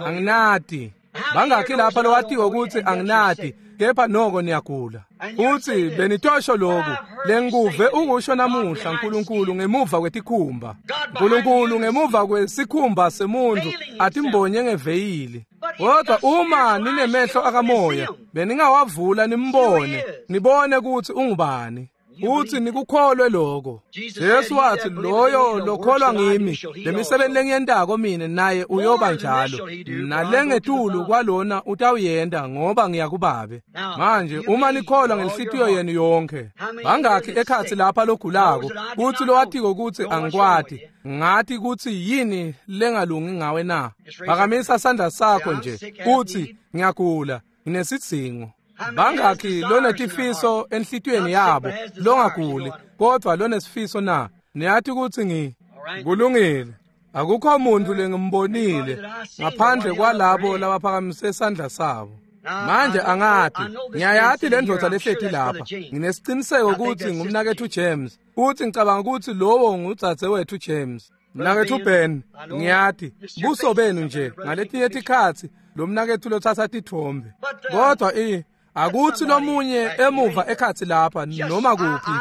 Anginati. Bangakhi lapha lowatiwa kutsi anginati, kepha noko niyagula. Utsi benitosho lokhu, lenguve ukusho namuhla Nkulunkulu ngemuva kwetikhumba. Nkulunkulu ngemuva kwesikhumba semuntu atimbonye ngeveyili. Kodwa uma ninemehlo akamoya, beningawavula nimbone, nibone kutsi ungubani. Uthi nikukholwe lokho. Jesu wathi loyo lokholwa ngimi, lemisebenzi lengiyentako mine naye uyoba njalo. Nalengetulu kwalona utawuyenta ngoba ngiyakubabe. Manje uma nikholwa ngenhlitiyo yenu yonke, bangakhi ekhatsi lapha logulako, kuthi lowatiko kutsi angikwati, ngati kutsi yini lengalungi ngawe na? Phakamisa sandla sakho nje, uthi ngiyagula, nginesidzingo. Bangakhi lonetifiso enhlitiyweni yabo longaguli kodwa lonesifiso na? Niyati kutsi ngi kulungile. Akukho muntu lengimbonile ngaphandle kwalabo labaphakamise sandla sabo. Manje angati, ngiyayati le ndvodza lehleti lapha. Nginesiciniseko kutsi ngumnaketfu James. Futsi ngicabanga kutsi lowo ngudzadzewetfu James. Mnaketfu Ben, ngiyati buso benu nje ngaletinye tikhatsi lo mnaketfu lotsatsa titfombe. Kodwa i akutsi lomunye emuva ekhatsi lapha noma kuphi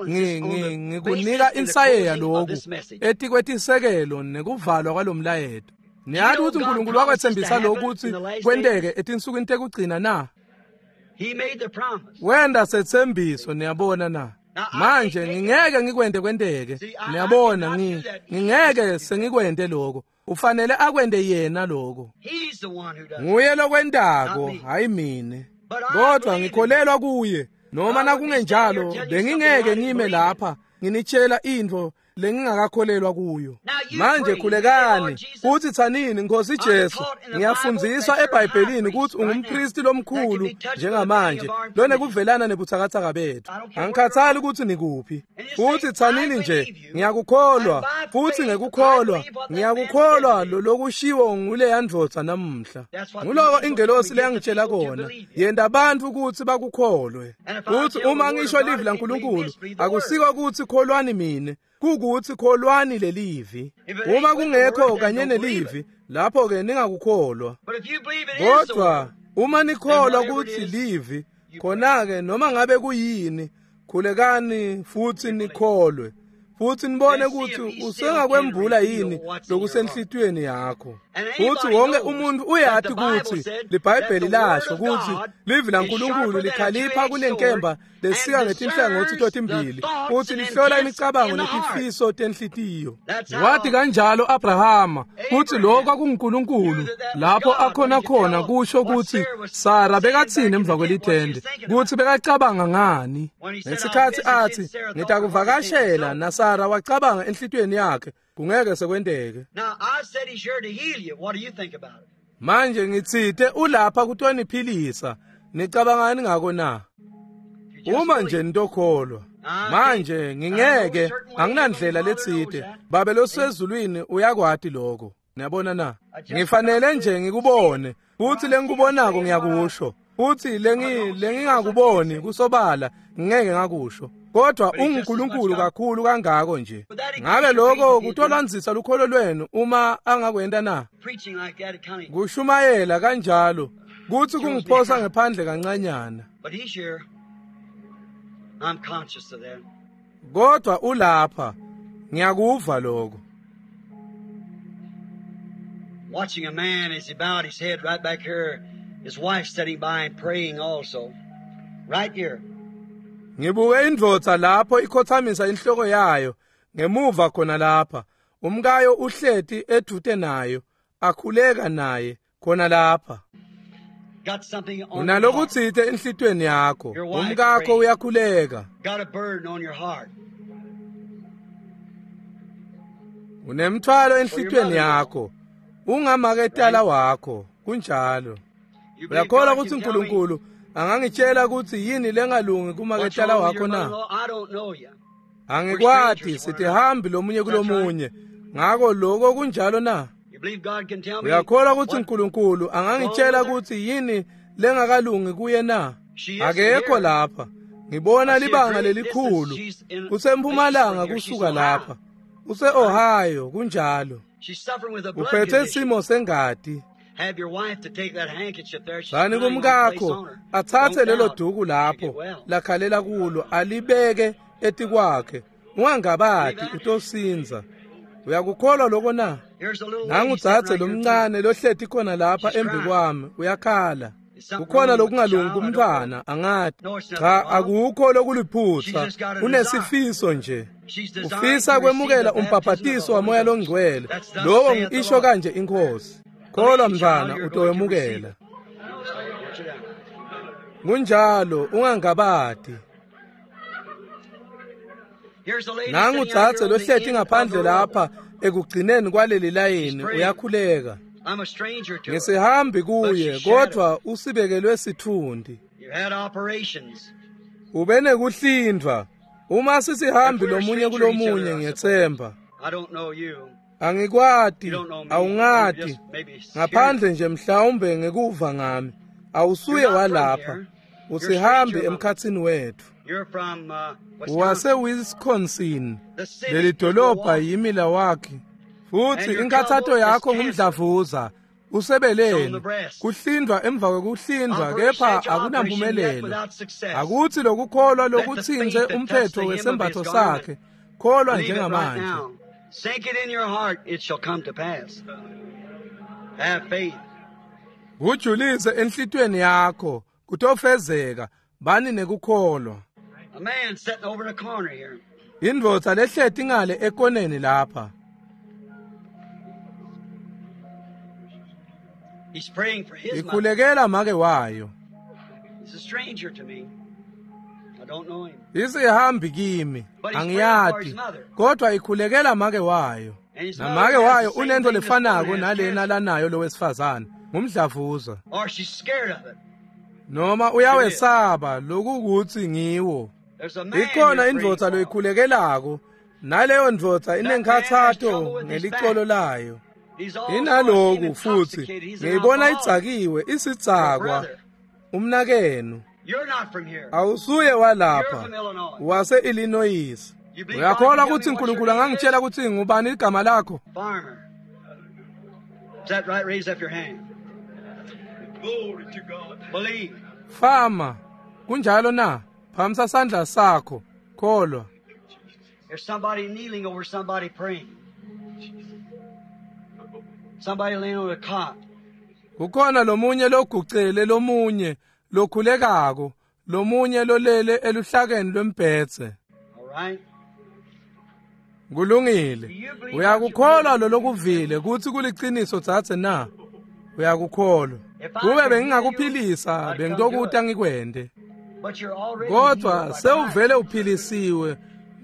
nje ngikunika insayeya lokhu etikwetisekelo nekuvalwa kwalomlayeto. Niyati kutsi Nkulunkulu wakwetsembisa lokhu kutsi kwenteke etinsukwini tekugcina na? Wenda setsembiso, niyabona na? Manje ngingeke ngikwente kwenteke. Niyabona ngi ngingeke sengikwente lokho. Ufanele akwente yena lokho. Nguye lokwentako, hayi mine. Kodwa ngikholelwa kuye. Noma nakungenjalo bengingeke ngime lapha nginitshela intfo lengingakakholelwa kuyo. Manje khulekani futhi tsanini, Nkosi Jesu, ngiyafundziswa eBhayibhelini kutsi ungumpristi lomkhulu njengamanje lonekuvelana nebutsakatsaka bethu. Angikhathali kutsi nikuphi. Futhi tsanini nje, ngiyakukholwa, futhi ngekukholwa, ngiyakukholwa lokushiwo nguleya ndvodza namuhla. Nguloko ingelosi leyangitshela kona, yenta bantfu kutsi bakukholwe. Futhi uma ngisho livi laNkulunkulu, akusiko kutsi kholwani mine, kukuthi kholwani lelivi. Uma kungekho kanye nelivi, lapho ke ningakukholwa. Kodwa uma nikholwa kutsi livi, khona-ke noma ngabe kuyini, khulekani futhi nikholwe. Futhi nibone kutsi usengakwembula yini lokusenhlitiyweni yakho. Futhi wonke umuntu uyati kutsi liBhayibheli lasho kutsi livi laNkulunkulu likhalipha kunenkemba lesika ngetinhlangotsi totimbili, futhi lihlola imicabango netifiso tenhlitiyo. Wathi kanjalo Abrahama kutsi lokho kwakunguNkulunkulu lapho akhona khona kusho kutsi Sara bekatsini emva kwelithende, kutsi bekacabanga ngani. Ngesikhatsi athi ngitakuvakashela, na Sara wacabanga enhlitiyweni yakhe kungeke sekwenteke. Manje ngitsite ulapha kutoniphilisa, nicabangani ngako na? Uma nje nitokholwa. Manje ngingeke, anginandlela letsite. Babe losezulwini uyakwati lokho. Niyabona na? Ngifanele nje ngikubone, futhi lengikubonako ngiyakusho. Futhi lengi lengingakuboni kusobala ngeke ngakusho. Kodwa unguNkulunkulu kakhulu kangako nje. Ngabe lokho kutolandzisa lukholo lwenu uma angakwenta na? Kushumayela kanjalo kuthi kungiphosa ngephandle kancanyana. Kodwa ulapha, ngiyakuva lokho. Watching a man as he bowed his head right back here, his wife sitting by and praying also. Right here. Ngibuke indvodza lapho ikhothamisa inhloko yayo ngemuva khona lapha. Umkayo uhleti edvute nayo, akhuleka naye khona lapha. Unalokutsite enhlitiyweni yakho, umkakho uyakhuleka. Unemthwalo enhlitiyweni yakho. Ungamaketala wakho, kunjalo. Uyakholwa kutsi uNkulunkulu angangitshela kutsi yini lengalungi kumaketala wakho na? Angikwati, sitihambi lomunye kulomunye. Ngako lokho kunjalo na? Uyakholwa kutsi uNkulunkulu angangitshela kutsi yini lengakalungi kuye na? Akekho lapha. Ngibona libanga lelikhulu. Kusempumalanga kusuka lapha. Use-Ohio, kunjalo. Uphethe simo sengati. Sani kumkakho atsatse lelo duku lapho lakhalela kulo alibeke etikwakhe. Ungangabati utosinza. Uyakukholwa lokho na? Nangu dzadze lomncane lohleti khona lapha embi kwami uyakhala. Kukhona lokungalungi kumntfwana, angati. Cha, akukho lokuliphutsa, unesifiso nje. Ufisa kwemukela umbhabhatiso waMoya loNgcwele. Lowo isho kanje iNkhosi. Kholwa mntfwana, utowemukela. Kunjalo, ungangabati. Nangu dzadze lohleti ngaphandle lapha ekugcineni kwaleli layini uyakhuleka. Ngisihambi kuye, kodvwa usibekelwe sitfundi. Ube nekuhlindvwa. Uma sisihambi lomunye kulomunye, ngiyetsemba. Angikwati, awungati, ngaphandle nje mhlawumbe ngekuva ngami. Awusuye walapha, usihambi emkhatsini wetfu. Wase-Wisconsin, leli dolobha yiMilwaukee. Futhi inkathato yakho ngumdlavuza usebeleni, kuhlindvwa emva kwekuhlindvwa, kepha akunampumelelo. Akutsi lokukholwa lokutsintse umphetho wesembatfo sakhe, kholwa njengamanje. Sink it in your heart, it shall come to pass. Have faith. Kujulise enhlitiyweni yakho, kutofezeka, bani nekukholwa. A man sitting over in the corner here. Indvodza lehleti ngale ekoneni lapha. He's praying for his mother. Ikhulekela make wayo. He's a stranger to me. I don't know him. Isihambi kimi, angiyati, kodwa ikhulekela make wayo. Namake wayo unento lefanako nalena lanayo lowesifazane, ngumdlavuza. Or she's scared of it. Noma uyawesaba lokukuthi ngiwo. There's a man Ikhona you're indvodza praying for. loyikhulekelako, naleyo ndvodza inenkhathato ngelicolo layo. He's also Inaloku futhi intoxicated. He's an ngiyibona alcoholic. idzakiwe, Your isidzakwa, brother. umnakenu. You're not from here. Awusuye You're walapha, from Illinois. wase-Illinois. You believe God Uyakholwa can tell kutsi me what your uNkulunkulu name is? angangitshela kutsi ngubani igama lakho? Farmer. Is that right? Raise up your hand. Glory to God. Believe. Fama, kunjalo na? Phamisa sandla sakho, kholwa. There's somebody kneeling over somebody praying. Somebody laying on a cot. Kukhona lomunye logucele lomunye lokhulekako, lomunye lolele eluhlakeni lwembhedze. All right? Kulungile. Uyakukholwa lolokuvile kutsi kuliciniso dzadze na? Uyakukholwa. Kube bengingakuphilisa bengitokuta ngikwente. But you're already Kodwa healed by sewuvele Christ. uphilisiwe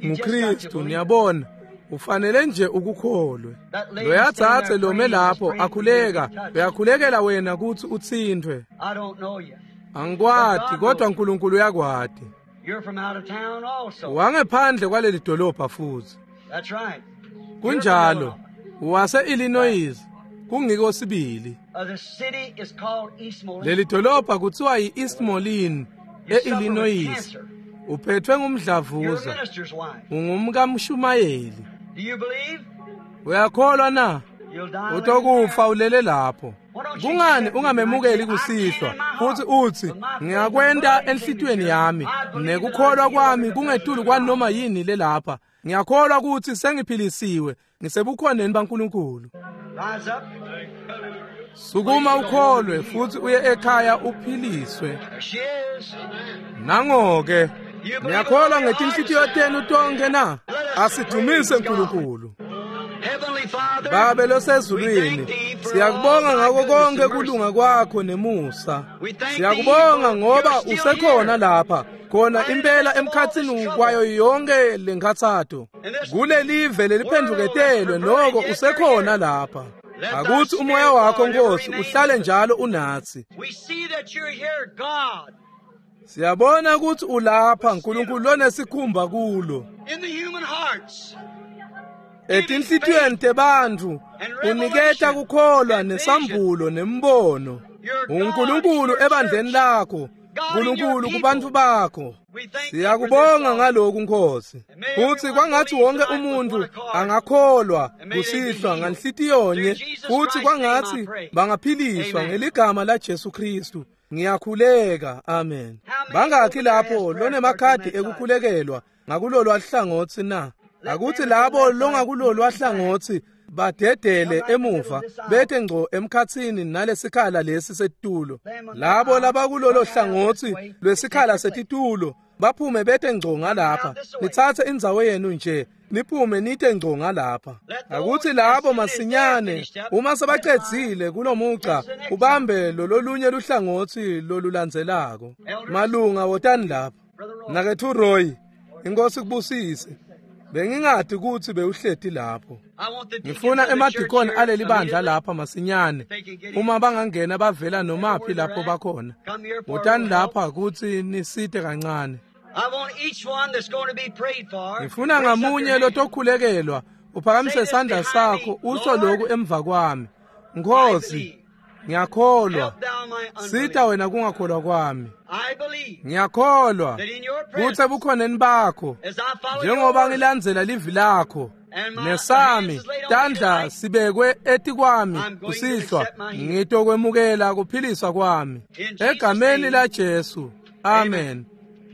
nguKristu, niyabona. Ufanele nje ukukholwe. That lady Loya standing dzadze there lome praying is lapho praying for you to akhuleka, be touched. uyakhulekela wena kutsi utsintfwe. I don't know you. Angikwati, kodwa uNkulunkulu uyakwati. You're from out of town also. Wangephandle kwaleli dolobha futhi. That's right. You're from Kunjalo. Illinois. Wase-Illinois. Kungiko sibili. Uh, the city is called East Moline. Leli dolobha kuthiwa yi-East Moline You suffer with e-Illinois. cancer. Uphethwe You're a ngumdlavuza. minister's wife. Ungumkamshumayeli. Do you believe? Uyakholwa na? You'll die laying Utokufa there. ulele lapho. Kungani ungamemukeli kusihlwa futhi uthi ngingakwenta enhlitiyweni yami nekukholwa kwami kungetulu kwanoma yini lelapha. Ngiyakholwa ukuthi sengiphilisiwe, ngisebukhoneni baNkulunkulu. Rise up. Sukuma ukholwe futhi uye ekhaya uphiliswe. There she is. Nango-ke, niyakholwa ngetinhlitiyo tenu tonke na? Asidumise uNkulunkulu. Heavenly Father, Babe we losezulwini, thank thee for all siyakubonga thy ngako goodness konke and mercy. kulunga kwakho nemusa. We thank thee Siyakubonga for ngoba you're still usekhona here. lapha, khona Right in the impela midst of all this emkhatsini trouble. kwayo yonke lenkhathato. In this Kulelive world that's leliphendvuketelwe perverted, noko yet you're usekhona here. lapha. Akuthi umoya wakho Nkosi uhlale njalo unathi. Siyabona ukuthi ulapha uNkulunkulu lonesikhumba kulo. Etinhlitiyweni tebantfu uniketa kukholwa nesambulo nembono. uNkulunkulu ebandleni lakho, uNkulunkulu kubantu bakho. Siyakubonga ngalokhu Nkosi. Futhi kwangathi wonke umuntu angakholwa kusihlwa nganhlitiyonye, futhi kwangathi bangaphiliswa ngeligama la Jesu Kristu. Ngiyakhuleka, amen. Bangakhi lapho lonemakhadi ekukhulekelwa ngakulolwa hlangothi na? Akuthi labo longakulolwa hlangothi badedele emuva bethe ngco emkhathini nalesikhala lesi setitulo. Labo labakulolo hlangothi lwesikhala setitulo baphume bethe ngco ngalapha. Nithathe indzawo yenu nje niphume nithe ngco ngalapha. Akuthi labo masinyane uma sebacedzile kulomuca ubambe lololunye luhlangothi lolulandzelako. Malunga wotani lapha. Nakethu Roy, inkosi kubusise. Bengingadi ukuthi bewuhleti lapho. Ngifuna emadikoni aleli bandla lapha masinyane. Uma bangangena bavela nomaphi lapho bakhona. Wotani lapha ukuthi nisite kancane. Ngifuna ngamunye lotokhulekelwa uphakamise isandla sakho usho lokhu emva kwami. Nkosi, ngiyakholwa. Sita wena kungakholwa kwami. Ngiyakholwa kutsi ebukhoneni bakho njengoba ngilandzela livi lakho nesami tandla sibekwe etikwami kusihlwa, ngitokwemukela kuphiliswa kwami egameni la Jesu. Amen.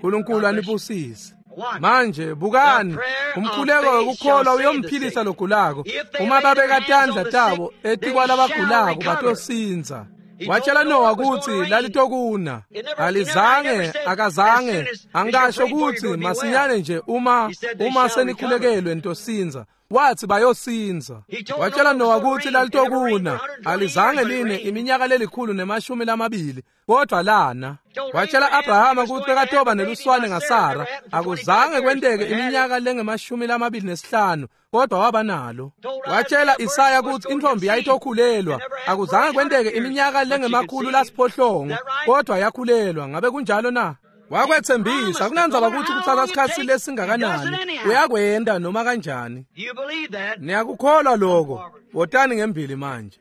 uNkulunkulu anibusise. Manje bukani, umkhuleko wekukholwa uyomphilisa logulako. Uma babeka tandla tabo etikwalabagulako batosinza. Watshela Noah ukuthi lalitokuna. Alizange, akazange, angasho ukuthi masinyane nje uma uma senikhulekelwe ntosinza. Wathi bayosinza. Watshela Noah ukuthi lalitokuna. Alizange line iminyaka lelikhulu nemashumi lamabili, kodwa lana. Watshela Abrahama ukuthi bekatoba neluswane ngaSara. Akuzange kwenteke iminyaka lengemashumi lamabili nesihlanu, kodwa waba nalo. Watshela Isaya ukuthi intombi yayitokhulelwa. Akuzange kwenteke iminyaka lengemakhulu lasiphohlongo, kodwa yakhulelwa. Ngabe kunjalo na? Wakwethembisa. Kunandzaba ukuthi kutsatsa isikhatsi lesingakanani, uyakwenda noma kanjani. Niyakukholwa lokho? Wotani ngembili manje.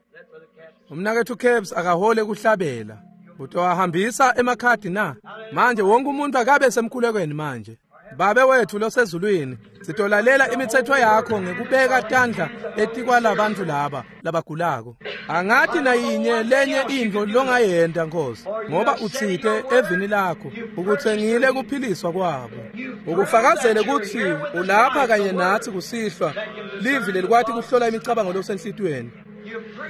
Umnakethu Caps akahole kuhlabela. Utowahambisa emakhadi na? Manje wonke umuntu akabe semkhulekweni manje. Babe wethu losezulwini, sitolalela imithetho yakho ngekubeka tandla etikwalabantu laba labagulako. Angathi nayinye lenye intfo longayenta Nkosi, ngoba utsite evini lakho ukutsengile kuphiliswa kwabo. Ukufakazele kutsi ulapha kanye nathi kusihlwa, livi lelikwati kuhlola imicabango losenhlitiyweni.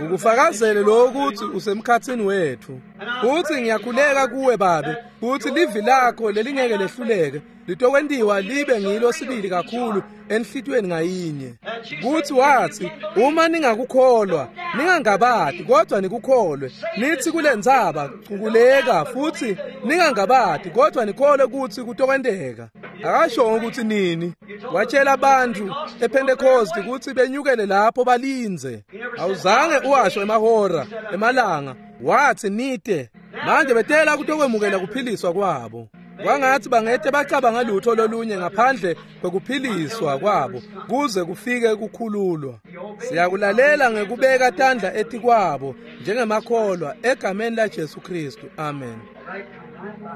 Ukufakazele lokho ukuthi usemkhathini wethu. Futhi ngiyakhuleka kuwe Babe, ukuthi livi lakho lelingeke lehluleke litokwentiwa libe ngilo sibili kakhulu enhlitiyweni ngayinye. Kuthi wathi uma ningakukholwa, ningangabati kodwa nikukholwe. Nithi kulendzaba cukuleka, futhi ningangabati kodwa nikholwe ukuthi kutokwenteka. Akasho ukuthi nini. Watshela abantu ePentecost ukuthi benyukele lapho balindze. Awuzange uwasho emahora, emalanga. Wathi nite. Manje betela kutokwemukela kuphiliswa kwabo. Kwangathi bangete bacabanga lutho lolunye ngaphandle kwekuphiliswa kwabo kuze kufike kukhululwa. Siyakulalela ngekubeka tandla etikwabo njengemakholwa egameni la Jesu Kristu. Amen.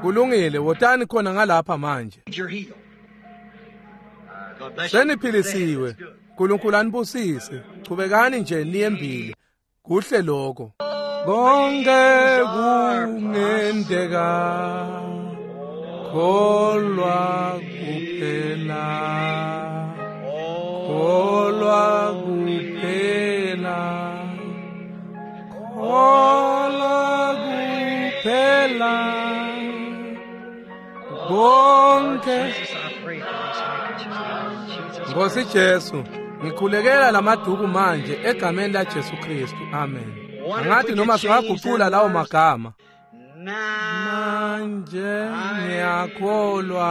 Kulungile, wotani khona ngalapha manje. Seniphilisiwe. uNkulunkulu anibusise. Chubekani nje niye Kuhle lokho. Konke kungenteka. Kholwa kuphela. Kholwa kuphela. Kholwa kuphela. Konke. Nkosi Jesu, ngikhulekela lamaduku manje egameni la Jesu Kristu. Amen. Angathi noma singaguqula lawo magama. Manje ngiyakholwa.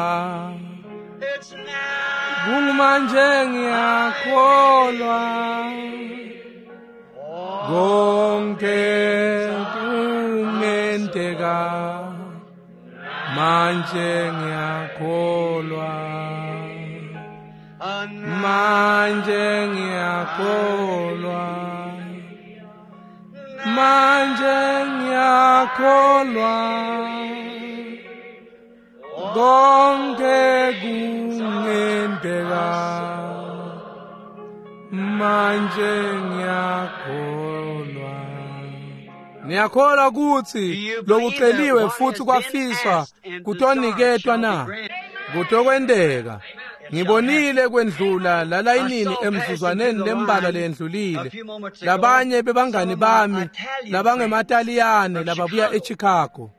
Kungumanje ngiyakholwa. Konke kungenteka manje ngiyakholwa manje ngiyakholwa manje ngiyakholwa konke kungenteka manje ngiyakholwa. Niyakholwa kutsi lokuceliwe futsi kwafiswa kutoniketwa na? Kutokwenteka. Ngibonile kwendlula lalayinini emzuzwaneni lembalwa lendlulile. Labanye bebangani bami labangemaTaliyane lababuya eChicago.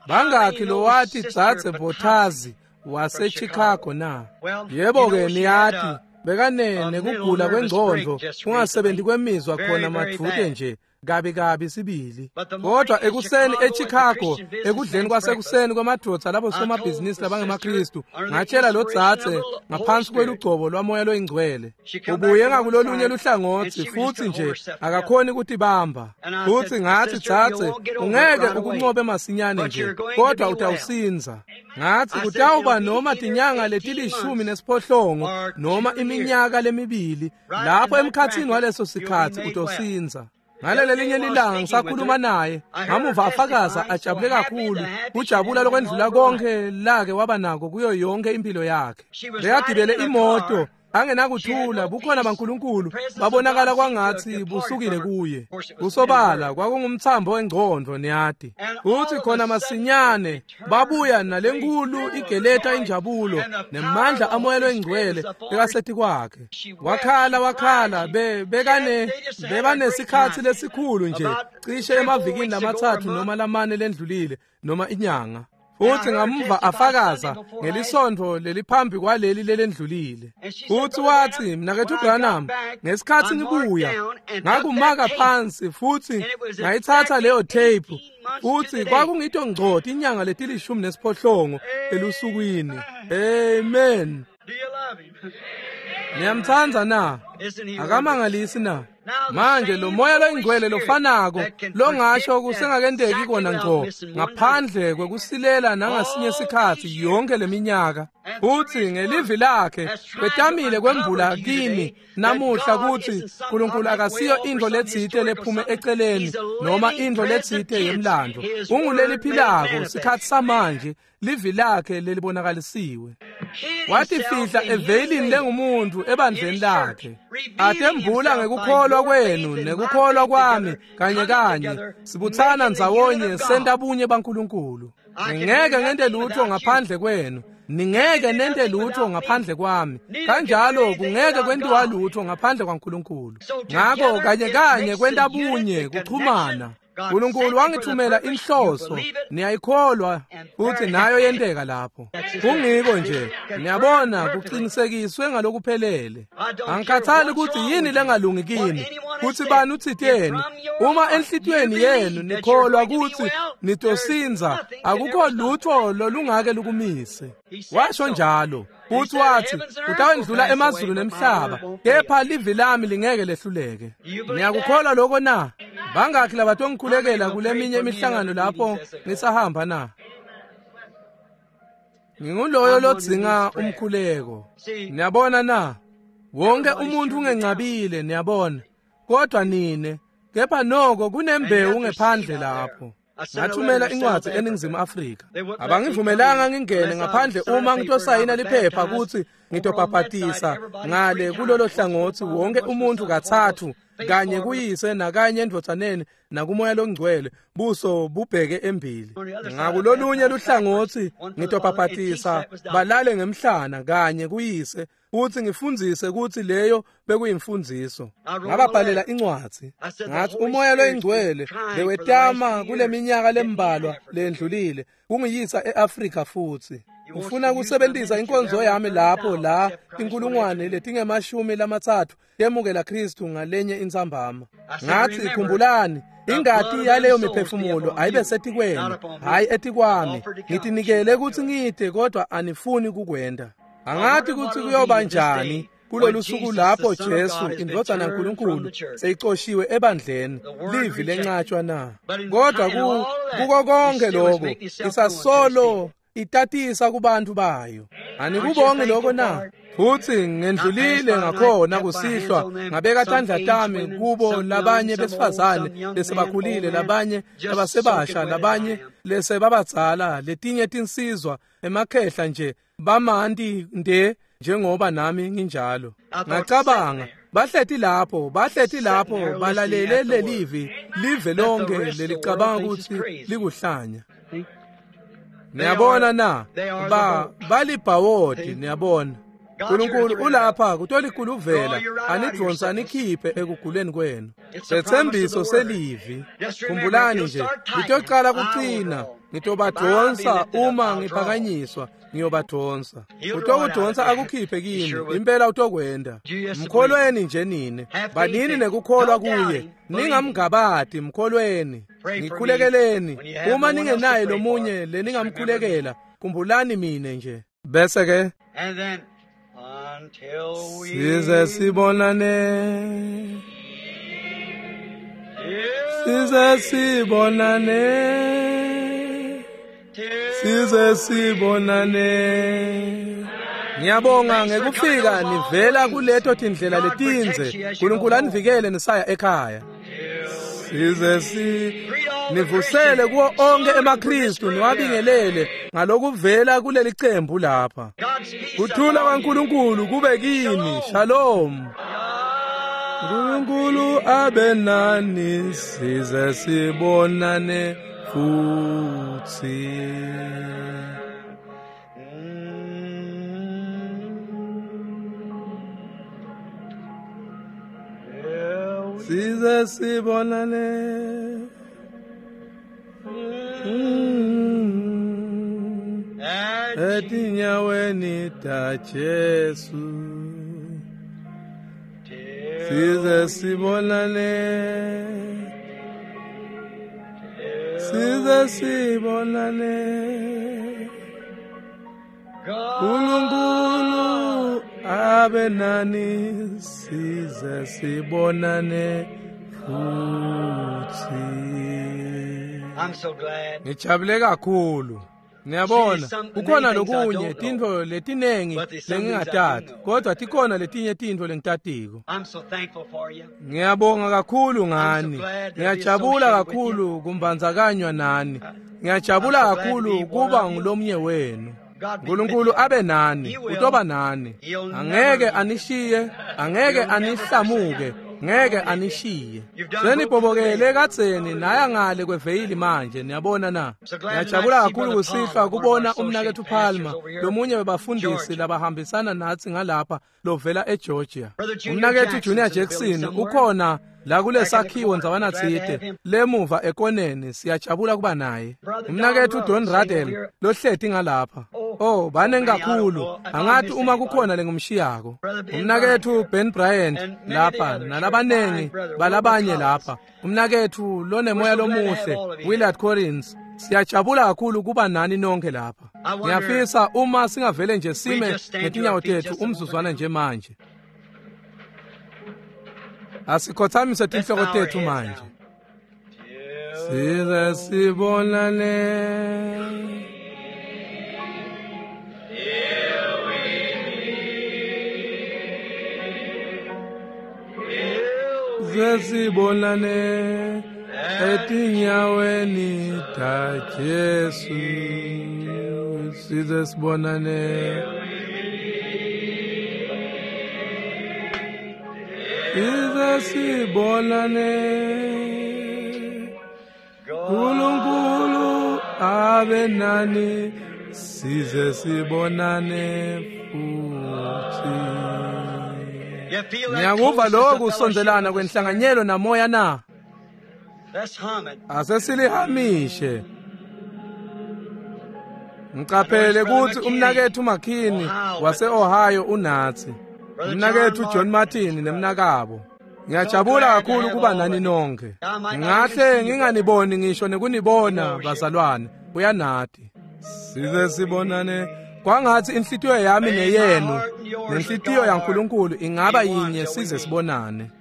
Bangakhi lowati Dzadze Botazi waseChicago na? Yebo-ke niyati bekane nekugula kwengcondvo kungasebenti kwemizwa khona madvute nje kabi kabi sibili. Kodwa ekuseni eChicago ekudleni kwasekuseni kwamadvodza labo somabhizinisi labangemaKristu ngatshela lo dzadze ngaphansi kwelugcobo lwamoya loyingcwele ubuye ngakulolunye luhlangotsi futsi nje akakhoni kutibamba. Futsi ngatsi dzadze ungeke ukuncobe masinyane nje kodwa utawusinza. Ngatsi kutawuba noma tinyanga letilishumi nesiphohlongo noma iminyaka lemibili lapho emkhatsini waleso sikhatsi utosinza. Ngalelelinye lilanga ngisakhuluma naye ngamuva afakaza ajabule kakhulu kujabula lokwendlula konke lake waba nako kuyo yonke impilo yakhe. Bekagibele imoto angenakuthula bukhona baNkulunkulu babonakala kwangatsi busukile kuye. Kusobala kwakungumtsambo wengcondvo niyati. Futsi khona masinyane babuya nalenkulu igeleta injabulo nemandla amoya loyingcwele bekasetikwakhe. Wakhala wakhala be bekane bebanesikhatsi lesikhulu nje cishe emavikini lamatsatfu noma lamane lendlulile noma inyanga. Futsi ngamuva afakaza ngelisontfo leliphambi kwaleli lelendlulile. Futsi watsi mnaketfu Branham ngesikhatsi ngibuya ngakumaka phansi futsi ngayitsatsa leyo tape futsi kwakungito ngco tinyanga letilishumi nesiphohlongo elusukwini. Amen. Niyamtsandza na? Akamangalisi na? Manje lo moya loyingcwele lofanako longasho kusengakenteki kona ngco ngaphandle kwekusilela nangasinye sikhatsi yonke leminyaka. Futsi ngelivi lakhe wetamile kwembula kini namuhla kutsi Nkulunkulu akasiyo intfo letsite lephume eceleni noma intfo letsite yemlandvo. Unguleliphilako sikhatsi samanje livi lakhe lelibonakalisiwe. Watifihla eveyilini lengumuntu ebandleni lakhe. Atembula ngekukholwa kwenu nekukholwa kwami kanye kanye sibutsana ndzawonye senta bunye baNkulunkulu. Ngingeke ngente lutho ngaphandle kwenu, ningeke nente lutho ngaphandle kwami, kanjalo kungeke kwentiwa lutho ngaphandle kwaNkulunkulu. Ngako kanye kanye kwenta bunye kuchumana. Nkulunkulu wangithumela inhloso, niyayikholwa futhi nayo yenteka lapho. Kungiko nje, niyabona kuqinisekiswe ngalokuphelele. Angikhathali ukuthi yini lengalungi kini, kutsi bani utsiteni. Uma enhlitiyweni yenu nikholwa kutsi nitosinza, akukho lutho lolungake lukumise. Washo njalo. Futhi wathi utawendlula emazulu nemhlaba kepha livi lami lingeke lehluleke. Niyakukholwa lokho na? Bangakhi labatongikhulekela kuleminye imihlangano lapho ngisahamba na? Nginguloyo lodzinga umkhuleko. Niyabona na? Wonke umuntu ungencabile niyabona, kodwa nine kepha noko kunembewu ngephandle lapho. Ngathumela incwadi eNingizimu Afrika. Abangivumelanga ngingene ngaphandle uma ngitosayina liphepha kutsi ngitobhabhatisa ngale kulolo hlangothi wonke umuntu katsatfu kanye kuyise nakanye endvodzaneni nakumoya longcwele buso bubheke embili. Ngakulolunye luhlangotsi ngitobhabhatisa balale ngemhlana kanye kuyise futhi ngifundzise kutsi leyo bekuyimfundziso. Ngababhalela incwadzi ngathi umoya loyingcwele bewetama kuleminyaka lembalwa lendlulile kungiyisa eAfrika futhi ufuna kusebentisa inkonzo yami lapho la inkulungwane letingemashumi lamatsatfu yemukela Kristu ngalenye intsambama. Ngathi khumbulani ingati yaleyo miphefumulo ayibe setikwenu hayi etikwami. Ngitinikele kutsi ngide kodwa anifuni kukwenda. Angathi kutsi kuyoba njani Kulolu suku lapho Jesu indvodzana yaNkulunkulu seyicoshiwe ebandleni, livi lencatshwa na? Kodwa kuko konke lokho isasolo itatisa kubantu bayo. Anikubongi lokho na? Futhi ngendlulile ngakhona kusihlwa ngabeka tandla tami kubo labanye besifazane lesebakhulile, labanye labasebasha, labanye lesebabadzala, letinye tinsizwa emakhehla nje bamanti nde njengoba nami nginjalo. Ngacabanga bahleti lapho, bahleti lapho balalele lelivi live lonke lelicabanga ukuthi likuhlanya. Niyabona na? Ba balibhawodi, niyabona. uNkulunkulu ulapha kutolikuluvela anidonsa anikhiphe ekuguleni kwenu. Sethembiso selivi. Khumbulani nje, ngitocala kucina, ngitobadonsa uma ngiphakanyiswa, ngiyobadonsa. Utokudonsa akukhiphe kini, impela utokwenda. Mkholweni nje nine, banini nekukholwa kuye, ningamngabadi, mkholweni. Ngikhulekeleni, uma ningenaye lomunye leningamkhulekela, khumbulani mine nje. Bese ke size sibonane, size sibonane, size sibonane. Ngiyabonga ngekufika nivela kuleto tindlela letinze. uNkulunkulu anivikele nisaya ekhaya. Size si nivusele kuwo onke emaKristu niwabingelele ngalokuvela kuleli cembu lapha. Kuthula kwaNkulunkulu kube kini. Shalom. uNkulunkulu abe nani size sibonane futhi. Size sibonane. Etinyaweni ta Jesu. Size sibonane, size sibonane. uNkulunkulu abe nani size sibonane futhi. I'm so glad. Ngijabule kakhulu. Niyabona, kukhona lokunye tintfo letinengi lengingatati, kodwa tikhona letinye tintfo lengitatiko. I'm so thankful for you. Ngiyabonga kakhulu ngani. Ngiyajabula kakhulu kumbandzakanywa nani. Ngiyajabula kakhulu kuba ngulomnye wenu. uNkulunkulu abe nani, utoba nani. Angeke anishiye, angeke anihlamuke, ngeke anishiye. Senibhobokele kadzeni naya ngale kweveyili manje, niyabona na? Ngiyajabula kakhulu kusihlwa kubona umnaketfu Palmer, lomunye webafundisi labahambisana natsi ngalapha lovela eGeorgia. Umnaketfu Junior Jackson ukhona la kulesakhiwo ndzawana tsite lemuva ekoneni, siyajabula kuba naye. Umnaketfu Don Radel lohleti ngalapha. Oh, banengi kakhulu, angathi uma kukhona lengumshiyako. Umnaketfu Ben Bryant lapha nalabanengi balabanye lapha. Umnaketfu lonemoya lomuhle Willard Collins, siyajabula kakhulu kuba nani nonke lapha. Ngiyafisa uma singavele nje sime ngetinyawo tethu umzuzwana nje manje. Asikhothamise tinhloko tethu manje. Size sibonane. Size sibonane etinyaweni ta Jesu. Size sibonane. Size sibonane. uNkulunkulu abe nani size sibonane futhi. Ngiyakuva lokhu kusondelana kwenhlanganyelo namoya na? Asesilihamishe. Ngiqaphele ukuthi umnaketfu McKinney wase-Ohio unathi. Umnaketfu John Martin nemnakabo. Ngiyajabula kakhulu kuba nani nonke. Ngahle nginganiboni ngisho nekunibona bazalwane. Uyanati. Size sibonane Kwangathi inhlitiyo yami neyenu nenhlitiyo yaNkulunkulu ingaba yinye size sibonane.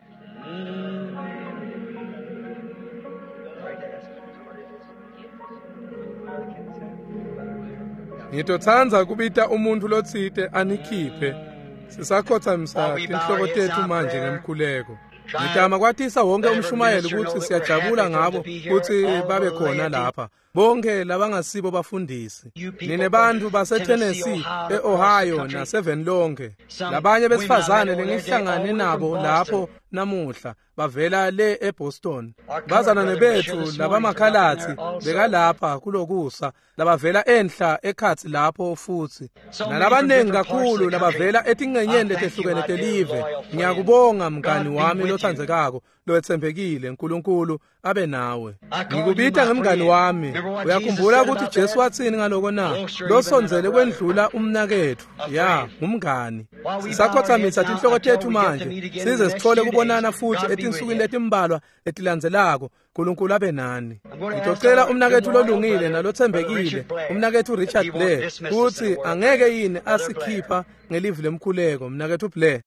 Ngitotsandza kubita umuntfu lotsite anikhiphe. Sisakhothamisa tinhloko tetfu manje ngemkhuleko. Ngitama kwatisa wonke umshumayeli kutsi siyajabula ngabo kutsi babe khona lapha. Bonke labangasibo bafundisi. Nine bantfu baseTennessee, e-Ohio naseVenlonke. Labanye besifazane lengihlangane nabo lapho namuhla bavela le eBoston. Bazalwane betfu labamakhalatsi bekalapha kulokusa labavela enhla ekhatsi lapho futsi. Nalabanengi kakhulu labavela etincenyeni letehlukene telive. Ngiyakubonga mngani wami lotsandzekako lowetsembekile, Nkulunkulu abe nawe. Ngikubita ngemngani wami. Uyakhumbula ukuthi Jesu watsini ngaloko na? Losondzele kwendlula umnaketfu. Ya, ngumngani. Sisakhothamisa tinhloko tetfu manje size sithole kubonana futhi etinsukwini letimbalwa letilandzelako. Nkulunkulu abe nani. Ngitocela umnaketfu lolungile nalotsembekile, umnaketfu Richard Blair, kutsi angeke yini asikhipha ngelivi lemkhuleko, mnaketfu Blair.